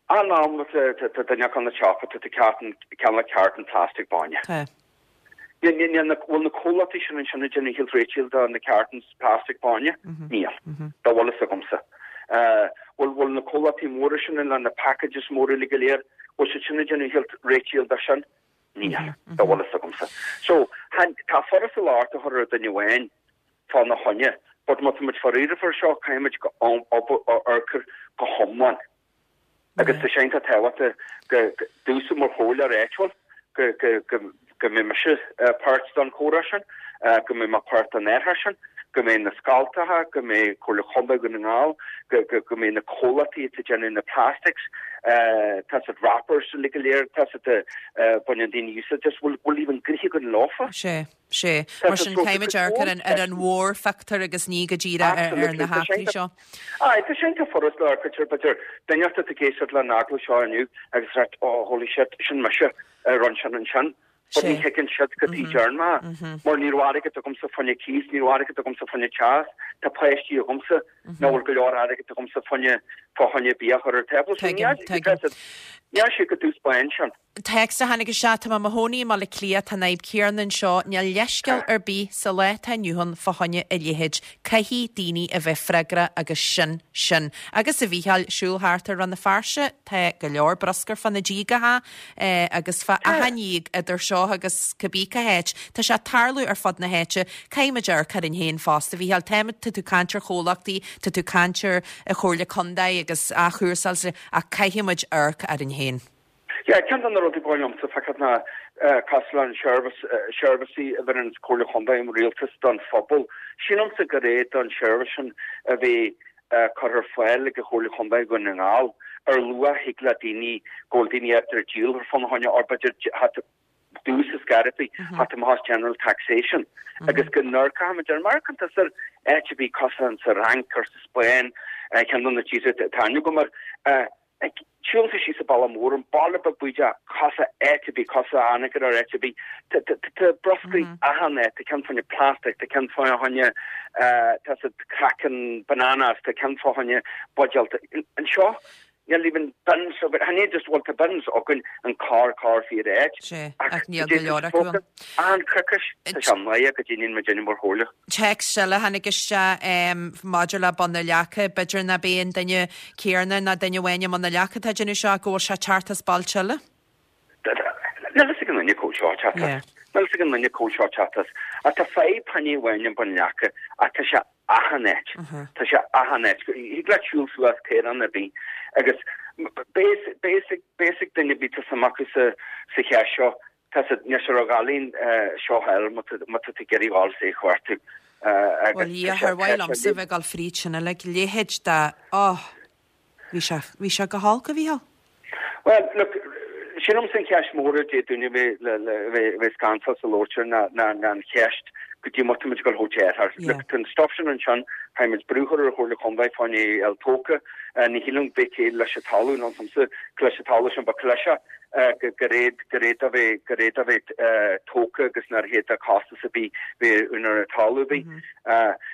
An am tá duine acu na siopa tá tú ag ceannach carton plastic bainne. Tá. Níl na, bhfuil na comhlachtaí sin ansin ag déanamh a thuilleadh réitigh do na cartons plastic bainne? Níl. Dá bhfuil fhios agamsa. Bhfuil, bhfuil na comhlachtaí móra sin le na packages móra uilig go léir, bhfuil siad sin ag déanamh a thuilleadh réitigh do sin? Níl. Dá bhfuil fhios agamsa. So, tá furast an locht a chur ar duine amháin fá na choinne, but má tá muid fá iarraidh air seo, caithfidh muid go, amharc air go hiomlán. Agus tá sé iontach tábhachtach go domhsa mar chomhairleoir áitiúil go go go go mbeidh mise páirt den chomhrá sin, go mbeidh mé páirt den athrá sin, go mbeidh na scoltacha, go mbeidh Comhairle Chontae Dhún na nGall, go go go mbeidh na comhlachtaí atá ag déanamh na plastics, tá siad wrappers uilig go léir, tá siad a baineann daoine úsáid as, bhfuil bhfuil even gnoithe againn leofa? Sea. Sea. Mar sin, caithfimid amharc ar an, ar an mhórphictiúr agus ní go díreach ar, ar na heachtraí seo. Aye, tá sé iontach furast le amharc ar, b'fhéidir, duine atá ag éisteacht leis an agallamh seo inniu agus ag ráit, oh, holy shit, sin mise a rinn sin ansin. But ní thuigeann siad cad chuige a ndearn mé, mar ní raibh airgead agamsa fá choinne cíos, ní raibh airgead agamsa fá choinne teas, tá páistí agamsa, nach bhfuil go leor airgead agamsa fá choinne, fá choinne bia a chur ar an tábla. So Tuigim, tuigim. níl sé go dtús báin sin. Téacs a tháinig isteach, Tá mé i mo chónaí i mBaile Átha Cliath, tá an fhadhb céanna anseo, níl leithscéal ar bith sa lá atá inniu ann fá choinne a leithéid. Caithfidh daoine a bheith freagrach agus sin sin. Agus a Mhícheáil, siúl thart ar Rann na Feirste, tá go leor bruscar fá na díogacha agus fá achan dhíog idir seo agus cibé cá háit. Tá sé ag tarlú ar fud na háite. Caithfidh muid amharc orainn féin fosta, a Mhícheáil. Tá, tá tú ag caint ar chomhlachtaí, tá tú ag caint ar Chomhairle Contae agus athchúrsáil, ach caithfidh muid amharc orainn féin. Yeah, ceann de na rudaí ba mhaith liomsa feiceáil ná cosúil le an seirbhís, seirbhísí a bheireann Comhairle Chontae an Rialtas don phobal. Sílimse gur é don seirbhís sin a bheith curtha ar fáil ag an Chomhairle Chontae Dhún na nGall ar luach thig le daoine, go bhfuil daoine ábalta díol ar fán a choinne or b'fhéidir. domhsa ar scor ar bith, theacht amach as general taxation agus go n-amharcfaimid ar mar cuntas ar áit ar bith cosúil sa Fhrainc or sa Spáinn, ceann de na tíortha atá aithne agam air. Ag siúl tú síos an bealach mór, an baile beag bídeach, cosúil áit ar bith, cosúil Anagaire or áit ar bith, tá bruscar achan áit, tá ceann fá choinne plastic, tá ceann fá choinne tá siad craiceann bananas, tá ceann fá choinne buidéal. Anseo, níl even bins againn, chan é just, bhuel tá bins againn, an carr carr fíor áit, Sea, ach níl go leor acu ann. An coicís, tá sé maith go dtí níl muid in mar chomhairle. Téacs eile a tháinig isteach maidir le Bun na Leaca, b'fhéidir ná b'é an duine céanna ná duine amháin i mBun na Leaca atá ag déanamh seo ach go bhfuil sé ag teacht as bailte eile. Níl fhios ag an duine cá bhfuil seo ag teacht as. Níl fhios ag an duine cá bhfuil seo ag teacht as. Ach tá fadhb chan é amháin i mBun Leaca ach tá sé achan áit. Tá sé achan áit. Thig leat siúl suas caorán ar bith agus beidh fhios ag duine ar bith tá suim acu sa cheist seo Tá siad níos ar a ghailín seo thall má tá tú ag iarraidh dhul is é a chuartú. Bhuel, a Dhia, char mhaith liomsa bheith ag dul fríd sin uilig. Leithéid de, oh, bhí sé, bhí sé go holc, a Mhícheáil. Bhuel, look, sílimse an cheist mhór a d'fhéadfadh duine a bheith, le, le, a bheith, a bheith scanntal sa labhairt air ná, ná, ná an cheist goidé mar tá muid ag dul a thabhairt air. Look, tá an stuff sin ansin, caithfidh muid brú a chur ar an Chomhairle Contae fá choinne é a fháil tógtha. Ní shílim go mbeidh céill leis an talamh, nó an leis an talamh sin, ba cliseadh gur fhéad gur fhéad a bheith gur fhéad a bheith tógtha agus nár fhéad a costas a bith bheith úinéir an talamh a bith.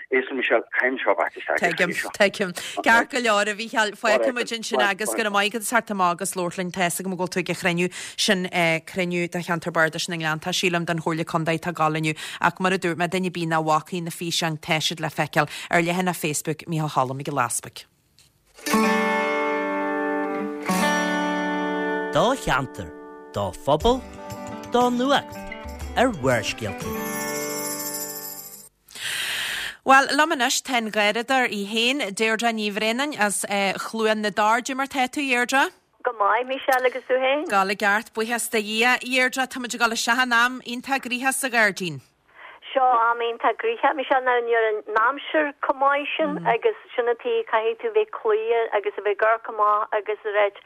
Éist Michelle, caithfidh seo bheith isteach ag Tuigim, tuigim. Ceart go leor a Mhícheáil, fágfaidh muid ansin agus go raibh maith agat as theacht amach agus labhairt linn. Tá fhios agam go bhfuil tú ag an chruinniú sin, cruinniú do cheantar bardais na nGleanntach, sílim, den Chomhairle Contae atá ag dul inniu. Ach mar a dúirt mé, duine ar bith nach bhfacaidh na físeáin, tá siad le feiceáil ar leathanach Facebook Micheál Choilm Mhic Giolla Easpaig. Do cheantar, do phobal, do nuacht ar Bharrscéalta. Bhuel, liom anois tá an garradóir í féin, Deirdre Ní Bhraonáin as Chluain na dTor. Cad é mar tá tú, a Dheirdre? Go maith, Michelle, agus tú féin? Ag dul i gceart, buíochas do Dhia. A Dheirdre, tá muid ag dul isteach in am iontach gnoitheach sa ghairdín. Seo am iontach gnoitheach, Michelle, now níl an aimsir chomh maith sin agus sin an tuige caithfidh tú bheith cloíte agus a bheith ag amharc amach agus a ráit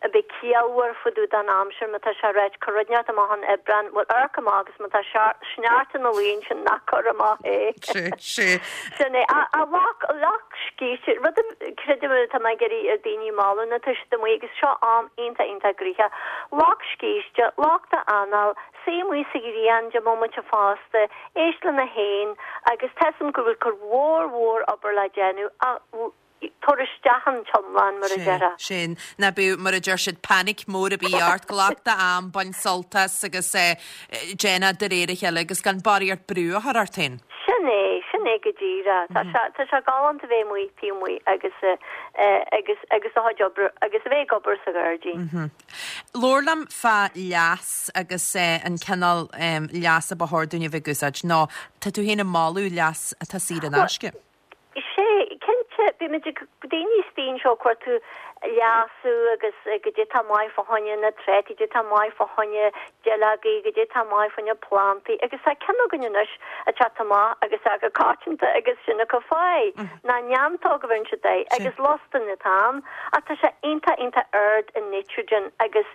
a bheith ciallmhar fá dtaobh den aimsir má tá sé a ráit cuir rud inteacht amach in Aibreán, bhuel amharc amach agus má tá sneachta ina luí ansin ná cuir amach é. Sea, sea. Sin é. A lucht, lucht scíste, rud a creidim atá mé ag iarraidh ar daoine a mholadh nuair atá siad amuigh agus seo am iontach iontach gnoitheach. Lucht scíste, lucht anáil, Suí amuigh sa ghrian deich mbomaite fosta, éist le na héin agus tá 'fhios a'm go bhfuil cuid mhór mhór obair le déanamh ach tabhair isteach an t-iomlán mar a déarfá. Sin, ná bíodh, mar a deir siad, panic mór ar bith ort, glac d'am, bain sult as agus déan é de réir a chéile agus gan barraíocht brú a chur ort féin. Sin é, sin é go díreach. Tá sé, tá sé galánta bheith amuigh taobh amuigh agus, agus, agus do chuid oibre, agus a bheith ag obair sa ghairdín. Labhair liom fá leas agus an cineál leas a ba chóir dúinn a bheith ag úsáid, nó tá tú féin ag moladh leas atá saor in aisce. Bhuel, sea, cinnte, bímid ag, daoine istigh anseo ag cuartú leasú agus goidé tá maith fá choinne na trátaí, goidé tá maith fá choinne duilleogaí, goidé tá maith fá choinne plantaí agus tá ceann againn anois ag teacht amach agus é go coitianta agus sin acu fáidh. Ná neantóg a bheireann siad air agus lostain atá ann ach tá sé iontach iontach ard i nitrogen agus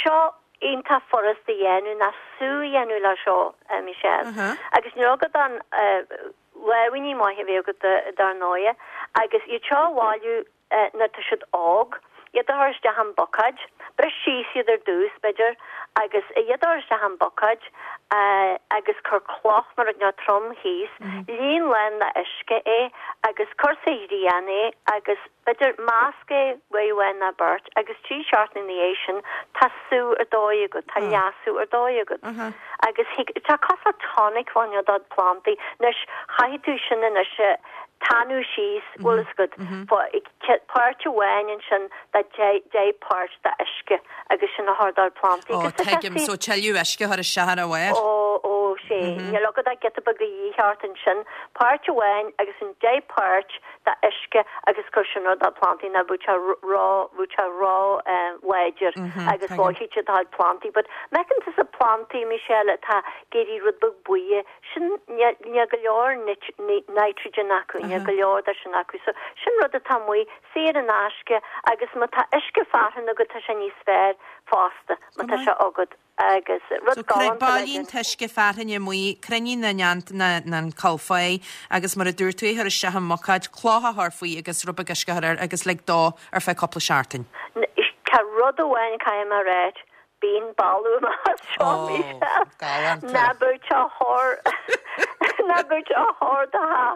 seo iontach furasta a dhéanamh ná sú a dhéanamh le seo, a Michelle. Agus níl agat ach lámhainní maithe a bheith agat dar ndóighe agus iad seo a bhailiú nuair atá siad óg, iad a chur isteach i mbucáid, bris síos iad ar dtús, b'fhéidir, agus iad a chur isteach i mbucáid agus cuir cloch nó rud inteacht trom thíos, líon lán le uisce é agus cuir sa ghrian é agus b'fhéidir measc é uair amháin nó beirt agus trí seachtaine ina dhiaidh sin tá sú ar dóigh agat, tá leasú ar dóigh agat. Agus thig, tá cosúil le tonic fá choinne do phlandaí. Anois, chaithfidh tú sin anois a tanú síos, bhfuil fhios agat, páirt amháin ansin de 10 páirt de uisce agus sin a chur do phlandaí. Ó, tuigim, so tuilleadh uisce a chur isteach ar a bharr. Ó, ó, sea, níl agat ach giota beag a dhíth ort ansin, páirt amháin agus an 10 páirt de uisce agus cuir sin ar do phlandaí nó bheadh sé ró, bheadh sé ró láidir agus mhothaigh siad do chuid plandaí. But má fheiceann tusa plandaí, Michelle, atá ag éirí rud beag buí, Sin, níl go leor nitrogen acu, níl go leor de sin acu. So, sin rud atá amuigh, saor in aisce, agus má tá uisce fearthainne agat tá sé níos fearr fosta, má tá sé agat. Agus rud So galánta le bailíonn déanamh. an t-uisce fearthainne amuigh, cruinnigh na neant na an coill fáidh agus mar a dúirt tú é a chur isteach i mbuicéad, cloch a chur faoi agus rud beag uisce a chur air agus lig dó ar feadh cúpla seachtain. Tá rud amháin caithfidh mé a ráit, bíonn boladh amach as seo Ó, Michelle. galánta. Ná bíodh sé chor ná bíodh sé chor do tha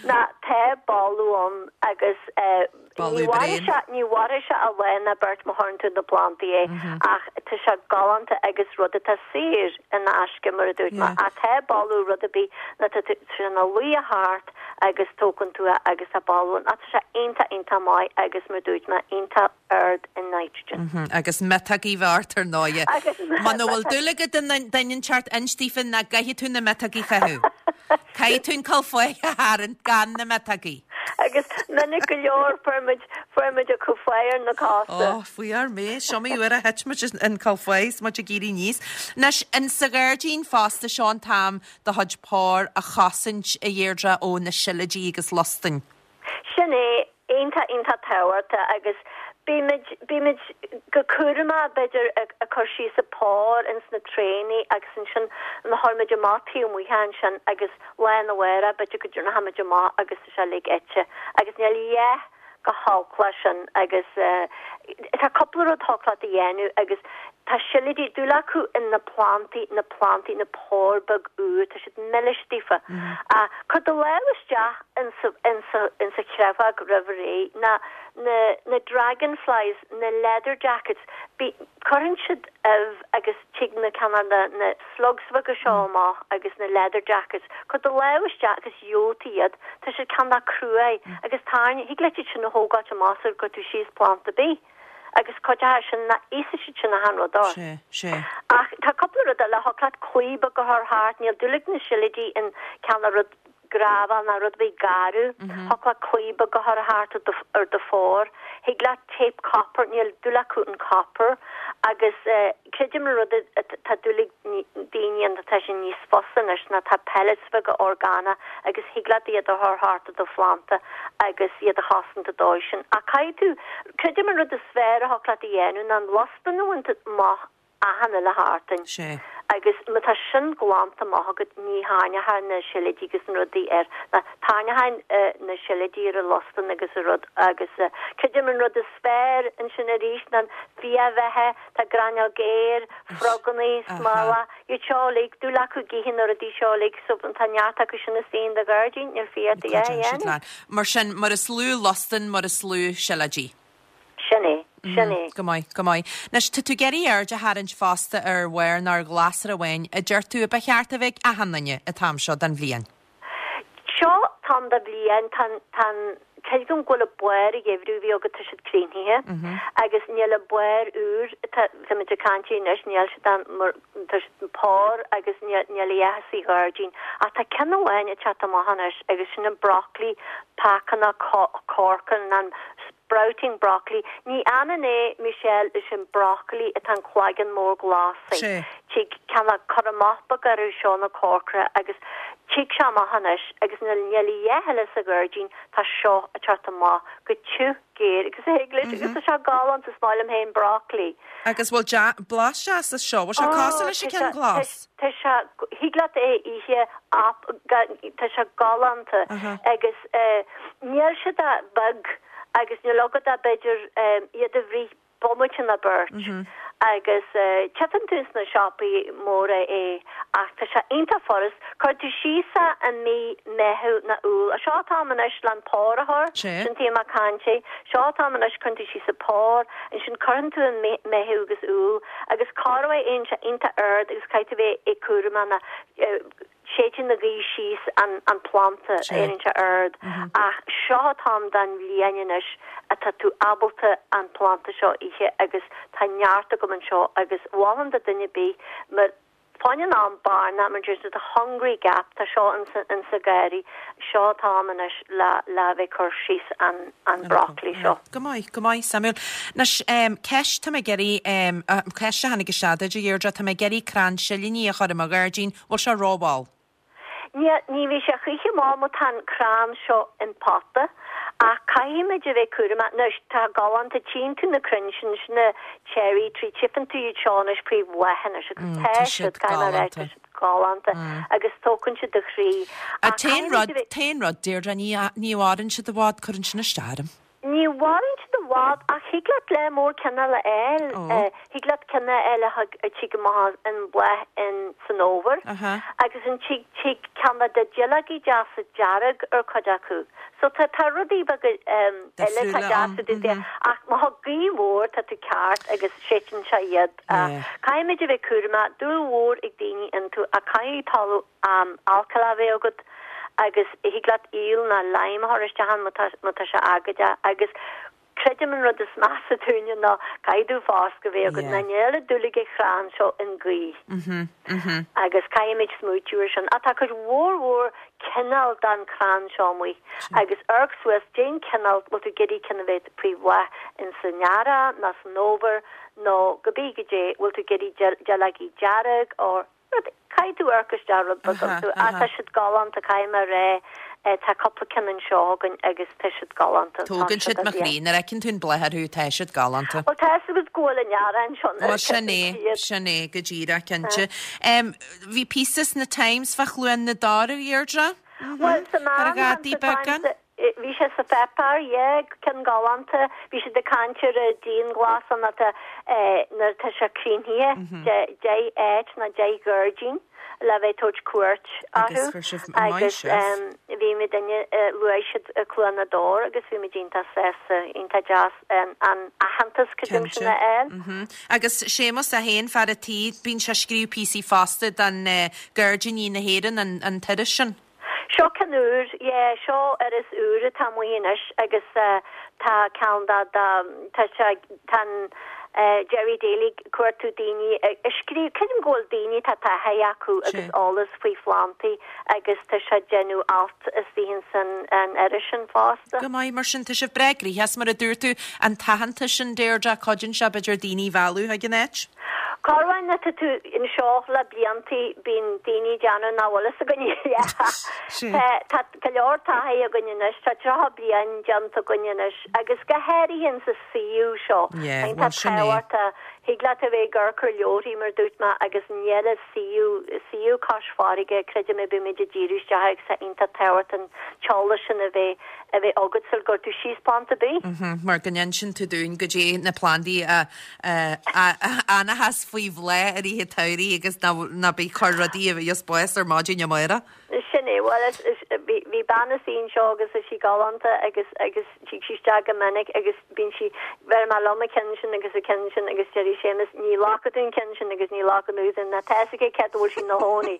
ná tá boladh ann agus eh, Ní Boladh mhairfidh bréan. sé, ní mhairfidh sé ach lá ná beirt má chuireann tú na plantaí é, ach tá sé galánta agus rud atá saor in aisce mar a dúirt mé. Yeah. Ach tá boladh rud ar bith ná tá tú sé ina luí thart agus tógann tú é agus tá boladh ann. Ach tá sé iontach, iontach maith agus mar a dúirt mé, iontach ard i nitrogen. Agus miotógaí bheith ort ar ndóighe. Agus Muna bhfuil dúil agat i nduine inteacht inis daofa nach gcaithfidh tú na miotógaí fúthu. Caithfidh tú an coill fáidh a tharraingt gan na miotógaí. Agus minic go leor fuair muid, fuair muid an coill fáidh ar na cosa. Ó, faoi ár mé, is iomaí uair a thit muid an coill fáidh is muid ag éirí aníos. Anois, in sa ghairdín fosta, seo an t-am do chuid pór a chosaint, a Dheirdre, ó na seilidí agus lustainn. Sin é, iontach, iontach tábhachtach agus bímid, bímid go cúramach b'fhéidir ag cur síos an pór ins na traenaí agus ansin na chuir muid amach taobh amuigh ansin agus lá arna mhárach b'fhéidir go dtabharfaidh muid amach agus tá sé uilig ite agus níl a dhath chomh holc leis sin agus tá cúpla rud thig leat a dhéanamh agus tá seilidí, dúil acu in na plantaí, na plantaí, na pór beag úr, tá siad milis daofa. Cuir do lámh isteach insa, insa, insa chreabhóg roimh ré, na, na, na dragonflies, na leather jackets, bí, cuireann siad ubh agus tig na cineál na, na slugs bheaga seo amach agus na leather jackets, cuir do lámh isteach agus gheobhaidh tú iad, tá siad cineál cruaidh agus tarraing, thig leat iad sin a thógáilt amach sar gcuir tú síos planta ar bith agus cuid acu sin ná íosfaidh siad sin achan rud ort. Sé, sé. Ach tá cúpla rud eile, thig leat claí beag a chur thart, níl dúil ag na seilidí in cineál rud gravel ná rud ar bith garbh, thig leat claí beag a chur thart ar do, ar do phór, thig leat tape copper, níl dúil acu in copper agus creidim an rud atá dúil ag daoine ann tá sé níos fusa anois ná tá pellets beaga orgánach agus thig leat iad a chur thart ar do phlanta agus iad a chosaint an dóigh sin. Ach caithfidh tú, creidim an rud is fearr a thig leat a dhéanamh ná an lustan a bhaint amach achan uile sheachtain. Sé. Agus má tá sin glanta amach agat ní tharraingeochaidh na seilidí agus na rudaí air. Ná tarraingeochaidh na seilidí ar an lustan agus an rud agus creidim an rud is fearr ansin arís ná an fiabheatha, tá gráinneog fhéir, frogannaí, smólach, iad seo uilig, dúil acu ag ithe na rudaí seo uilig so tá neart acu sin istigh in do ghairdín, níl fiach ort a dhath a dhéanamh. Mar sin, mar is lú lustan, mar is lú seilidí. Sin é, sin é. Go maith, go maith. Anois, tá tú ag iarraidh aird a tharraingt fosta ar bharr nó ar ghlasra amháin a deir tú a ba cheart a bheith ag achan duine an t-am seo den bhliain. Seo t-am de bhliain, tá an, tá an, creidim go bhfuil an barr an gheimhridh a bhí agat, tá siad críochnaithe agus níl an barr úr, tá, tá muid ag caint air anois, níl siad ann mar, tá siad an pór agus níl, níl a dhath sa ghairdín. Ach tá ceann amháin ag teacht amach anois agus sin an broccoli, pácanna corcra, an Sprouting broccoli. Ní ionann é, Michelle, leis an broccoli atá an cloigeann mór glas. Sé. Tig cineál cur amach beag orthu seo na corcra agus tig sé amach anois agus níl níl a dhath eile sa ghairdín tá seo ag teacht amach go tiubh géar agus thig leis agus tá sé galánta is maith liom féin broccoli. Agus bhfuil dea blas deas as seo? Bhfuil sé cosúil leis an ceann glas? Tá sé, thig leat é a ithe ap, tá sé galánta agus níl siad ach beag agus níl agat ach b'fhéidir iad a bhruith bomaite nó beirt agus tchífeann tú sna siopaí móra é ach tá sé iontach furast. Cuir tú síos é i mí Meitheamh nó Iúil. Seo an t-am anois le an pór a chur, sin taobh amach cainte. Seo an t-am anois cuireann tú síos an pór, ansin cuireann tú i Meitheamh agus Iúil. Agus corruair éiríonn sé iontach ard agus caithfidh tú bheith ag cúramach ná séideann an ghaoth síos an planta, éiríonn sé ard. Ach seo an t-am den bhliain anois atá tú ábalta an planta seo a ithe agus tá neart agam anseo agus mholfainn do duine ar bith má Fá choinne an am bearna, mar deir siad, the hungry gap, tá seo insa gharraí, seo an t-am anois le le bheith ag cur síos an an broccoli seo. Go maith, go maith, suimiúil. Anois, ceist, tá mé ag iarraidh, ceist a tháinig isteach duit, a Dheirdre, tá mé ag iarraidh crann silíní a chur i mo ghairdín, bhfuil sé rómhall? Ní, ní bheidh sé choíche mall má tá an crann seo in pota. Ach caithfimid a bheith cúramach. Anois, tá galánta, tchíonn tú na crainn sin, sin na cherry tree, tchífeann tú iad seo anois faoi bhláth anois agus tá siad, caithfidh mé a rá, tá siad galánta agus tógann siad do chroí. Ach caithfimid a bheith. T-aon rud, Deirdre, ní mhaireann siad i bhfad, cuireann sin isteach orm. Ní mhaireann siad i bhfad ach thig leat lear mór cineál a fháil. Thig leat ceann a fháil a thig a tig amach in bláth in san fhómhar agus an tig tig ceann de duilleogaí deasa dearg ar cuid acu. So tá tá rudaí beaga eile atá deasa dúinn féin ach má thá gaoth mhór tá tú ceart agus séideann sé iad. Caithfimid a bheith cúramach, dúil mhór ag daoine iontu ach caithfidh talamh alcaileach a bheith agat agus thig leat aoil ná lime a chur isteach ann má tá má tá sé agat agus creidim an rud is measa dúinne ná caithfidh tú foscadh a bheith agat ná níl dúil ag an chrann seo in gaoth agus caithfimid smaoitiú ar sin. Ach tá cuid mhór mhór cineál den chrann seo amuigh agus amharc suas cén cineál bhfuil tú ag iarraidh ceann a bheith faoi bhláth in san earrach ná san fhómhar nó cibé goidé bhfuil tú ag iarraidh duilleogaí dearg or Rud, caithfidh tú amharc isteach rud beag iontu. Ach tá siad galánta, caithfidh mé a rá. Tá cúpla ceann anseo againn agus tá siad galánta. Tógann siad mo chroí. Nuair a fheiceann tú an bláth orthu, tá siad galánta. Bhuel, tá fhios agat go bhfuil an earrach anseo nuair a Bhuel, sin é, sin é, go díreach, cinnte. Bhí píosa sna Times fá Chluain na dTor, a Dheirdre? Bhuel, sa Ar ghadaí beagán? Bhí sé sa pháipéar, yeah, ceann galánta. Bhí siad ag caint ar an dianghlasáil nuair atá, nuair atá sé críochnaithe, 10 áit nó 10 ghairdín le bheith ag tabhairt cuairt orthu agus bhí muidinne, luaigh siad Cluain na dTor agus bhí muid iontach sásta, iontach deas an aitheantas, creidim sin a fháil. Agus Séamus é féin, fear a' tí, bíonn sé ag scríobh píosaí fosta don Gairdíní na hÉireann, an t-iris sin. Seo ceann úr, yeah, seo iris úr atá amuigh anois agus tá ceann de, de, tá sé, tá an Gerry Daly ag cuartú daoine a scríobh, creidim go bhfuil daoine atá taithí acu agus eolas faoi phlandaí agus tá sé ag déanamh alt istigh ins an an iris sin fosta. Go maith, mar sin tá sibh breá gnoitheach, mar a dúirt tú, an t-aitheantas sin, Deirdre, cuidíonn sé b'fhéidir daoine a mhealladh chuig an áit. Corruair nuair atá tú anseo le bliantaí bíonn daoine ag déanamh nach bhfuil fhios againn Tá tá go leor taithí againn anois, tá 30 bliain déanta againn anois agus go háirithe insa suíomh seo. Yeah, Tá bhuel sin é. tábhachtach, thig leat a bheith ag amharc ar leabharthaí mar dúirt mé agus níl an suíomh, suíomh cois farraige, creidim a bímid ag díriú isteach agus tá iontach tábhachtach an t-eolas sin a bheith a bheith agat sul gcuir tú síos planda ar bith. Mar go n-inseann tú dúinn goidé na plandaí a a fhanfas faoi bhláth i rith an tsamhraidh agus ná bí ag cur rudaí a bheas bás ar maidin amárach. Sin é, bhuel, is, is, bhí, bhí bean istigh anseo agus is í galánta agus, agus tig sí isteach go minic agus bíonn sí, bheir mé liom an ceann sin agus an ceann sin agus deir Séamus, ní ghlacfaidh tú an ceann sin agus ní ghlacfaidh tú sin, ná tá fhios aici cé go bhfuil sí ina chónaí.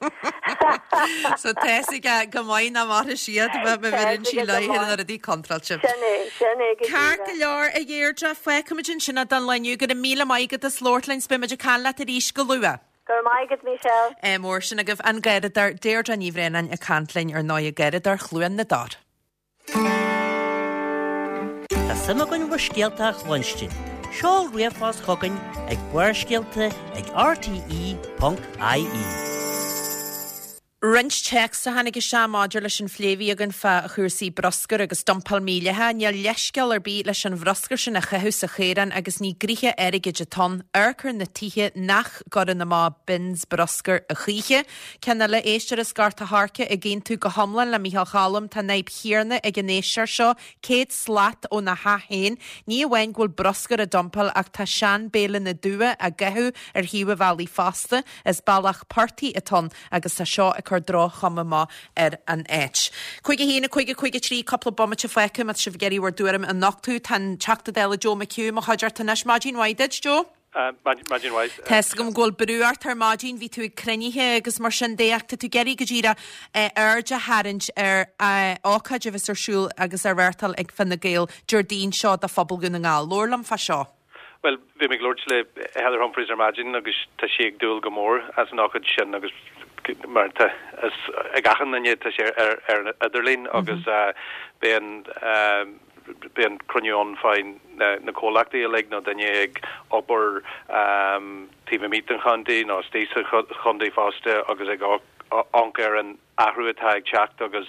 So tá fhios aici go maith nach mairfidh siad má bheireann sí léi na rudaí contráilte. Sin é, sin é go díreach. Ceart go leor, a Dheirdre, fágfaimid ansin é don lá inniu. Go raibh míle maith agat as labhairt linn 's beidh muid ag caint leat arís go luath. Go raibh maith agat, Michelle. Ádh mór sin agaibh. An Garradóir, Deirdre Ní Bhraonáin ag caint linn ar ndóigh, Garradóir Chluain na dTor. Tá suim againn bhur scéalta a chluinstin. Seol ríomhphost chugainn ag barrscéalta ag rte.ie. Roinnt téacs a tháinig isteach maidir leis an phlé a bhí againn fá chúrsaí bruscair agus dumpáil mídhleathach. Níl leithscéal ar bith leis an bhruscar sin a chaitheamh sa chaorán agus ní gnoithe airgid atá ann. Amharc ar na tithe nach gcuireann amach bins bruscair a choíche. Ceann eile, éisteoir as Gort a' Choirce ag aontú go hiomlán le Micheál Choilm, tá an fhadhb chéanna ag an éisteoir seo, 100 slat óna theach féin. Ní amháin go bhfuil bruscar á dumpáil ach tá sean-bhéileanna dubha á gcaitheamh ar thaobh an bhealaigh fosta. Is bealach portaigh atá ann agus tá seo ag cur droch-chuma amach ar an áit. 5 1 5 5 3 Cúpla bomaite fágtha má tá sibh ag iarraidh bhur dtuairim a nochtadh. Tá an Teachta Dála Joe McHugh i mo chuideachta anois. Maidin mhaith duit, Joe. Maidin mhaith. Tá fhios agam go bhfuil brú ort ar maidin, bhí tú ag cruinnithe agus mar sin de ach tá tú ag iarraidh go díreach aird a tharraingt ar ócáid a bheas ar siúl agus á reáchtáil ag Fine Gael Déardaoin seo do phobal Dhún na nGall. Labhair liom fá seo. Bhuel, bhí mé ag labhairt le Heather Humphreys ar maidin agus tá sí ag dúil go mór as an ócáid sin agus mar tá fhios ag achan duine tá sé ar ar an idirlíon agus beidh an beidh an cruinniú ann fá na comhlachtaí uilig nó daoine ag obair taobh amuigh den chontae nó istigh sa chontae fosta agus ag. amharc ar an athrú atá ag teacht agus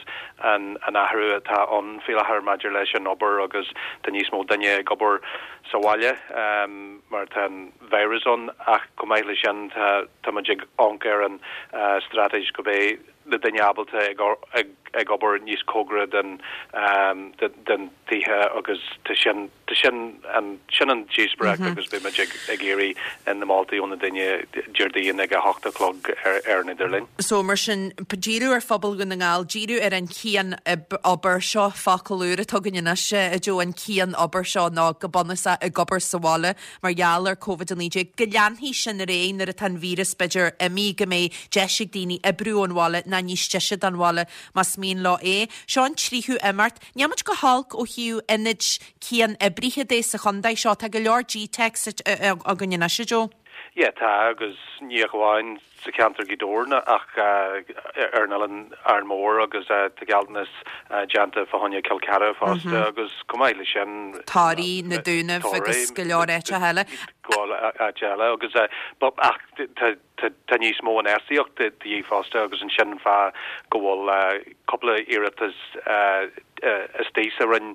an athrú atá ann faoi láthair maidir leis an obair agus tá níos mó duine ag obair sa bhaile mar tá an virus ann ach chomh maith leis sin tá tá muid ag amharc ar an straitéis go mbeidh na duine ábalta ag ag obair níos cóngaraí den den tithe agus tá sin tá sin an sin an díospóireacht agus beidh muid ag ag iarraidh na moltaí ó na duine Déardaoin ag a hocht a chlog ar ar an idirlíon. So mar sin, díriú ar phobal Dhún na nGall, díriú ar an chian-obair seo, focal úr atá againn anois, a Joe, an cian-obair seo nó go bunúsach ag obair sa bhaile mar gheall ar Covid-19, go leanfaidh sin ar aghaidh nuair atá an víreas b'fhéidir imithe, go mbeidh deis ag daoine oibriú ón bhaile ná níos deise don bhaile más mian leo é. Seo an tríú imeacht. Níl muid go holc ó thaobh ionaid cian-oibrithe de sa chontae seo. Tá go leor GTeics againn anois, a Joe. Yeah, tá, agus ní ach amháin sa cheantar Ghaoth Dobhair ach ar an oileán Árainn Mhór agus tá gealltanas déanta fá choinne Cill Chartha fosta agus chomh maith leis sin Toraigh, na Dúnaibh agus go leor áiteacha eile. Go leor áiteacha eile agus ach tá tá níos mó infheistíocht de dhíth fosta agus ansin an fáth go bhfuil cúpla iarratas istigh sa Roinn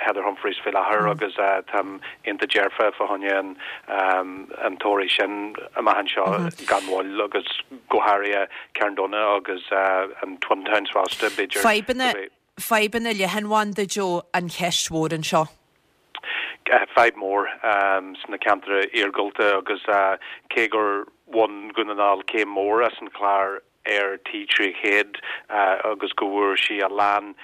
Heather Humphreys faoi láthair agus táim iontach dearfa fá choinne an tograí sin amach anseo gan mhoill agus go háirithe Carndonagh agus an Twin Towns fosta b'fhéidir. Fadhbanna Fadhbanna leathanbhanda, Joe, an cheist mhór anseo. Fadhb mhór sna ceantair iargúlta agus cé gur bhain Dhún na nGall céim mhór as an chlár Eir T300 agus go bhfuair sí a lán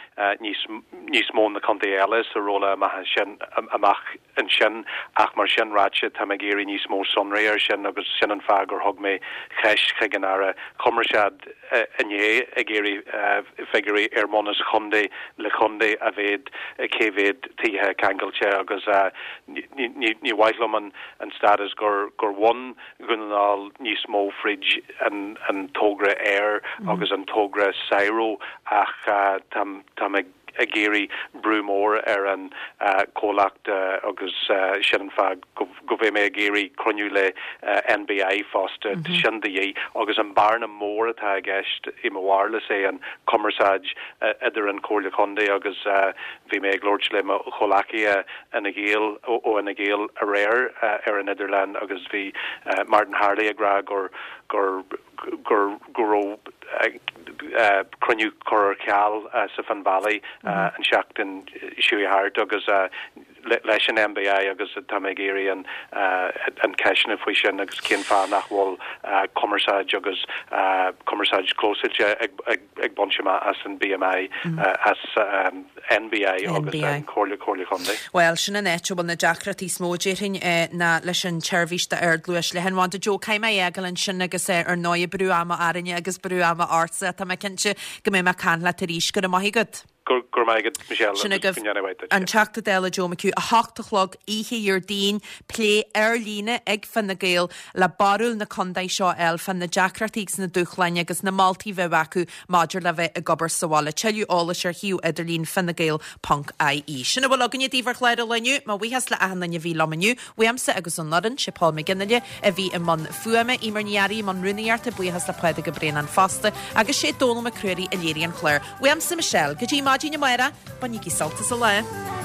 níos níos mó na contaetha eile sa rolladh amach sin amach ansin ach mar sin ráite táim ag iarraidh níos mó sonraí ar sin agus sin an fáth gur thug mé ceist chuig an Aire Cumarsáid inné ag iarraidh figiúirí ar mbunús chontae le chontae a mhéad cé mhéad tithe ceangailte agus ní mhaith liom an stádas gur gur bhain Dhún na nGall níos mó fríd an togra Eir agus an togra SIRO ach táim táim ag ag iarraidh brú mór ar an comhlacht agus sin an fáth go mbeidh mé ag iarraidh cruinniú le NBI fosta, tá sin de dhíth agus an bearna mór atá i gceist i mo bharúil is é an cumarsáid idir an Chomhairle Chontae agus bhí mé ag labhairt le mo chomhleacaithe Fhine Gael ó Fhine Gael aréir ar an idirlíon agus bhí Martin Harley ag rá gur gur gur go raibh cruinniú curtha ar ceal sa Finn Valley an tseachtain seo thart agus leis an NBI agus tá mé ag iarraidh an an ceisteanna faoi sin agus cén fáth nach bhfuil cumarsáid agus cumarsáid clósáilte ag ag ag baint amach as an BMI as NBI agus an Comhairle Comhairle Chontae. Bhuel, sin an áit a bhfuil na deacrachtaí is mó, déarfainn, ná leis an tseirbhís d'ardluais leathanbhanda. Joe, caithfidh mé é a fhágáil ansin agus ar ndóigh brú ama orainne agus brú ama ortsa. Tá mé cinnte go mbeidh mé ag caint leat arís. Go raibh maith agat. Go raibh maith agat, Michelle, Sin agus agaibh go ndéana mhaith duit. an Teachta Dála Joe McHugh, 8 a chlog, oíche Dhéardaoin, plé ar líne ag Fine Gael le barúil na contae seo a fháil fá na deacrachtaí agus na dúshláin agus na moltaí a bheadh acu maidir le bheith ag obair sa bhaile. Tuilleadh eolais ar shuíomh idirlín finegael ponc ie. Sin a bhfuil againne daoibh ar chlár an lae inniu. Mo bhuíochas le achan duine a bhí liom inniu. Uaimse agus ón fhoireann, sé Paul McGinley a bhí i mbun fuaime, Eimear Ní Fhearraigh i mbun rúnaíochta, buíochas le Pádraig Ó Braonáin fosta, agus sé Dónal Mac Ruairí a léirigh an clár. Uaimse Michelle, go dtí maidin amárach, bainigí sult as an lá.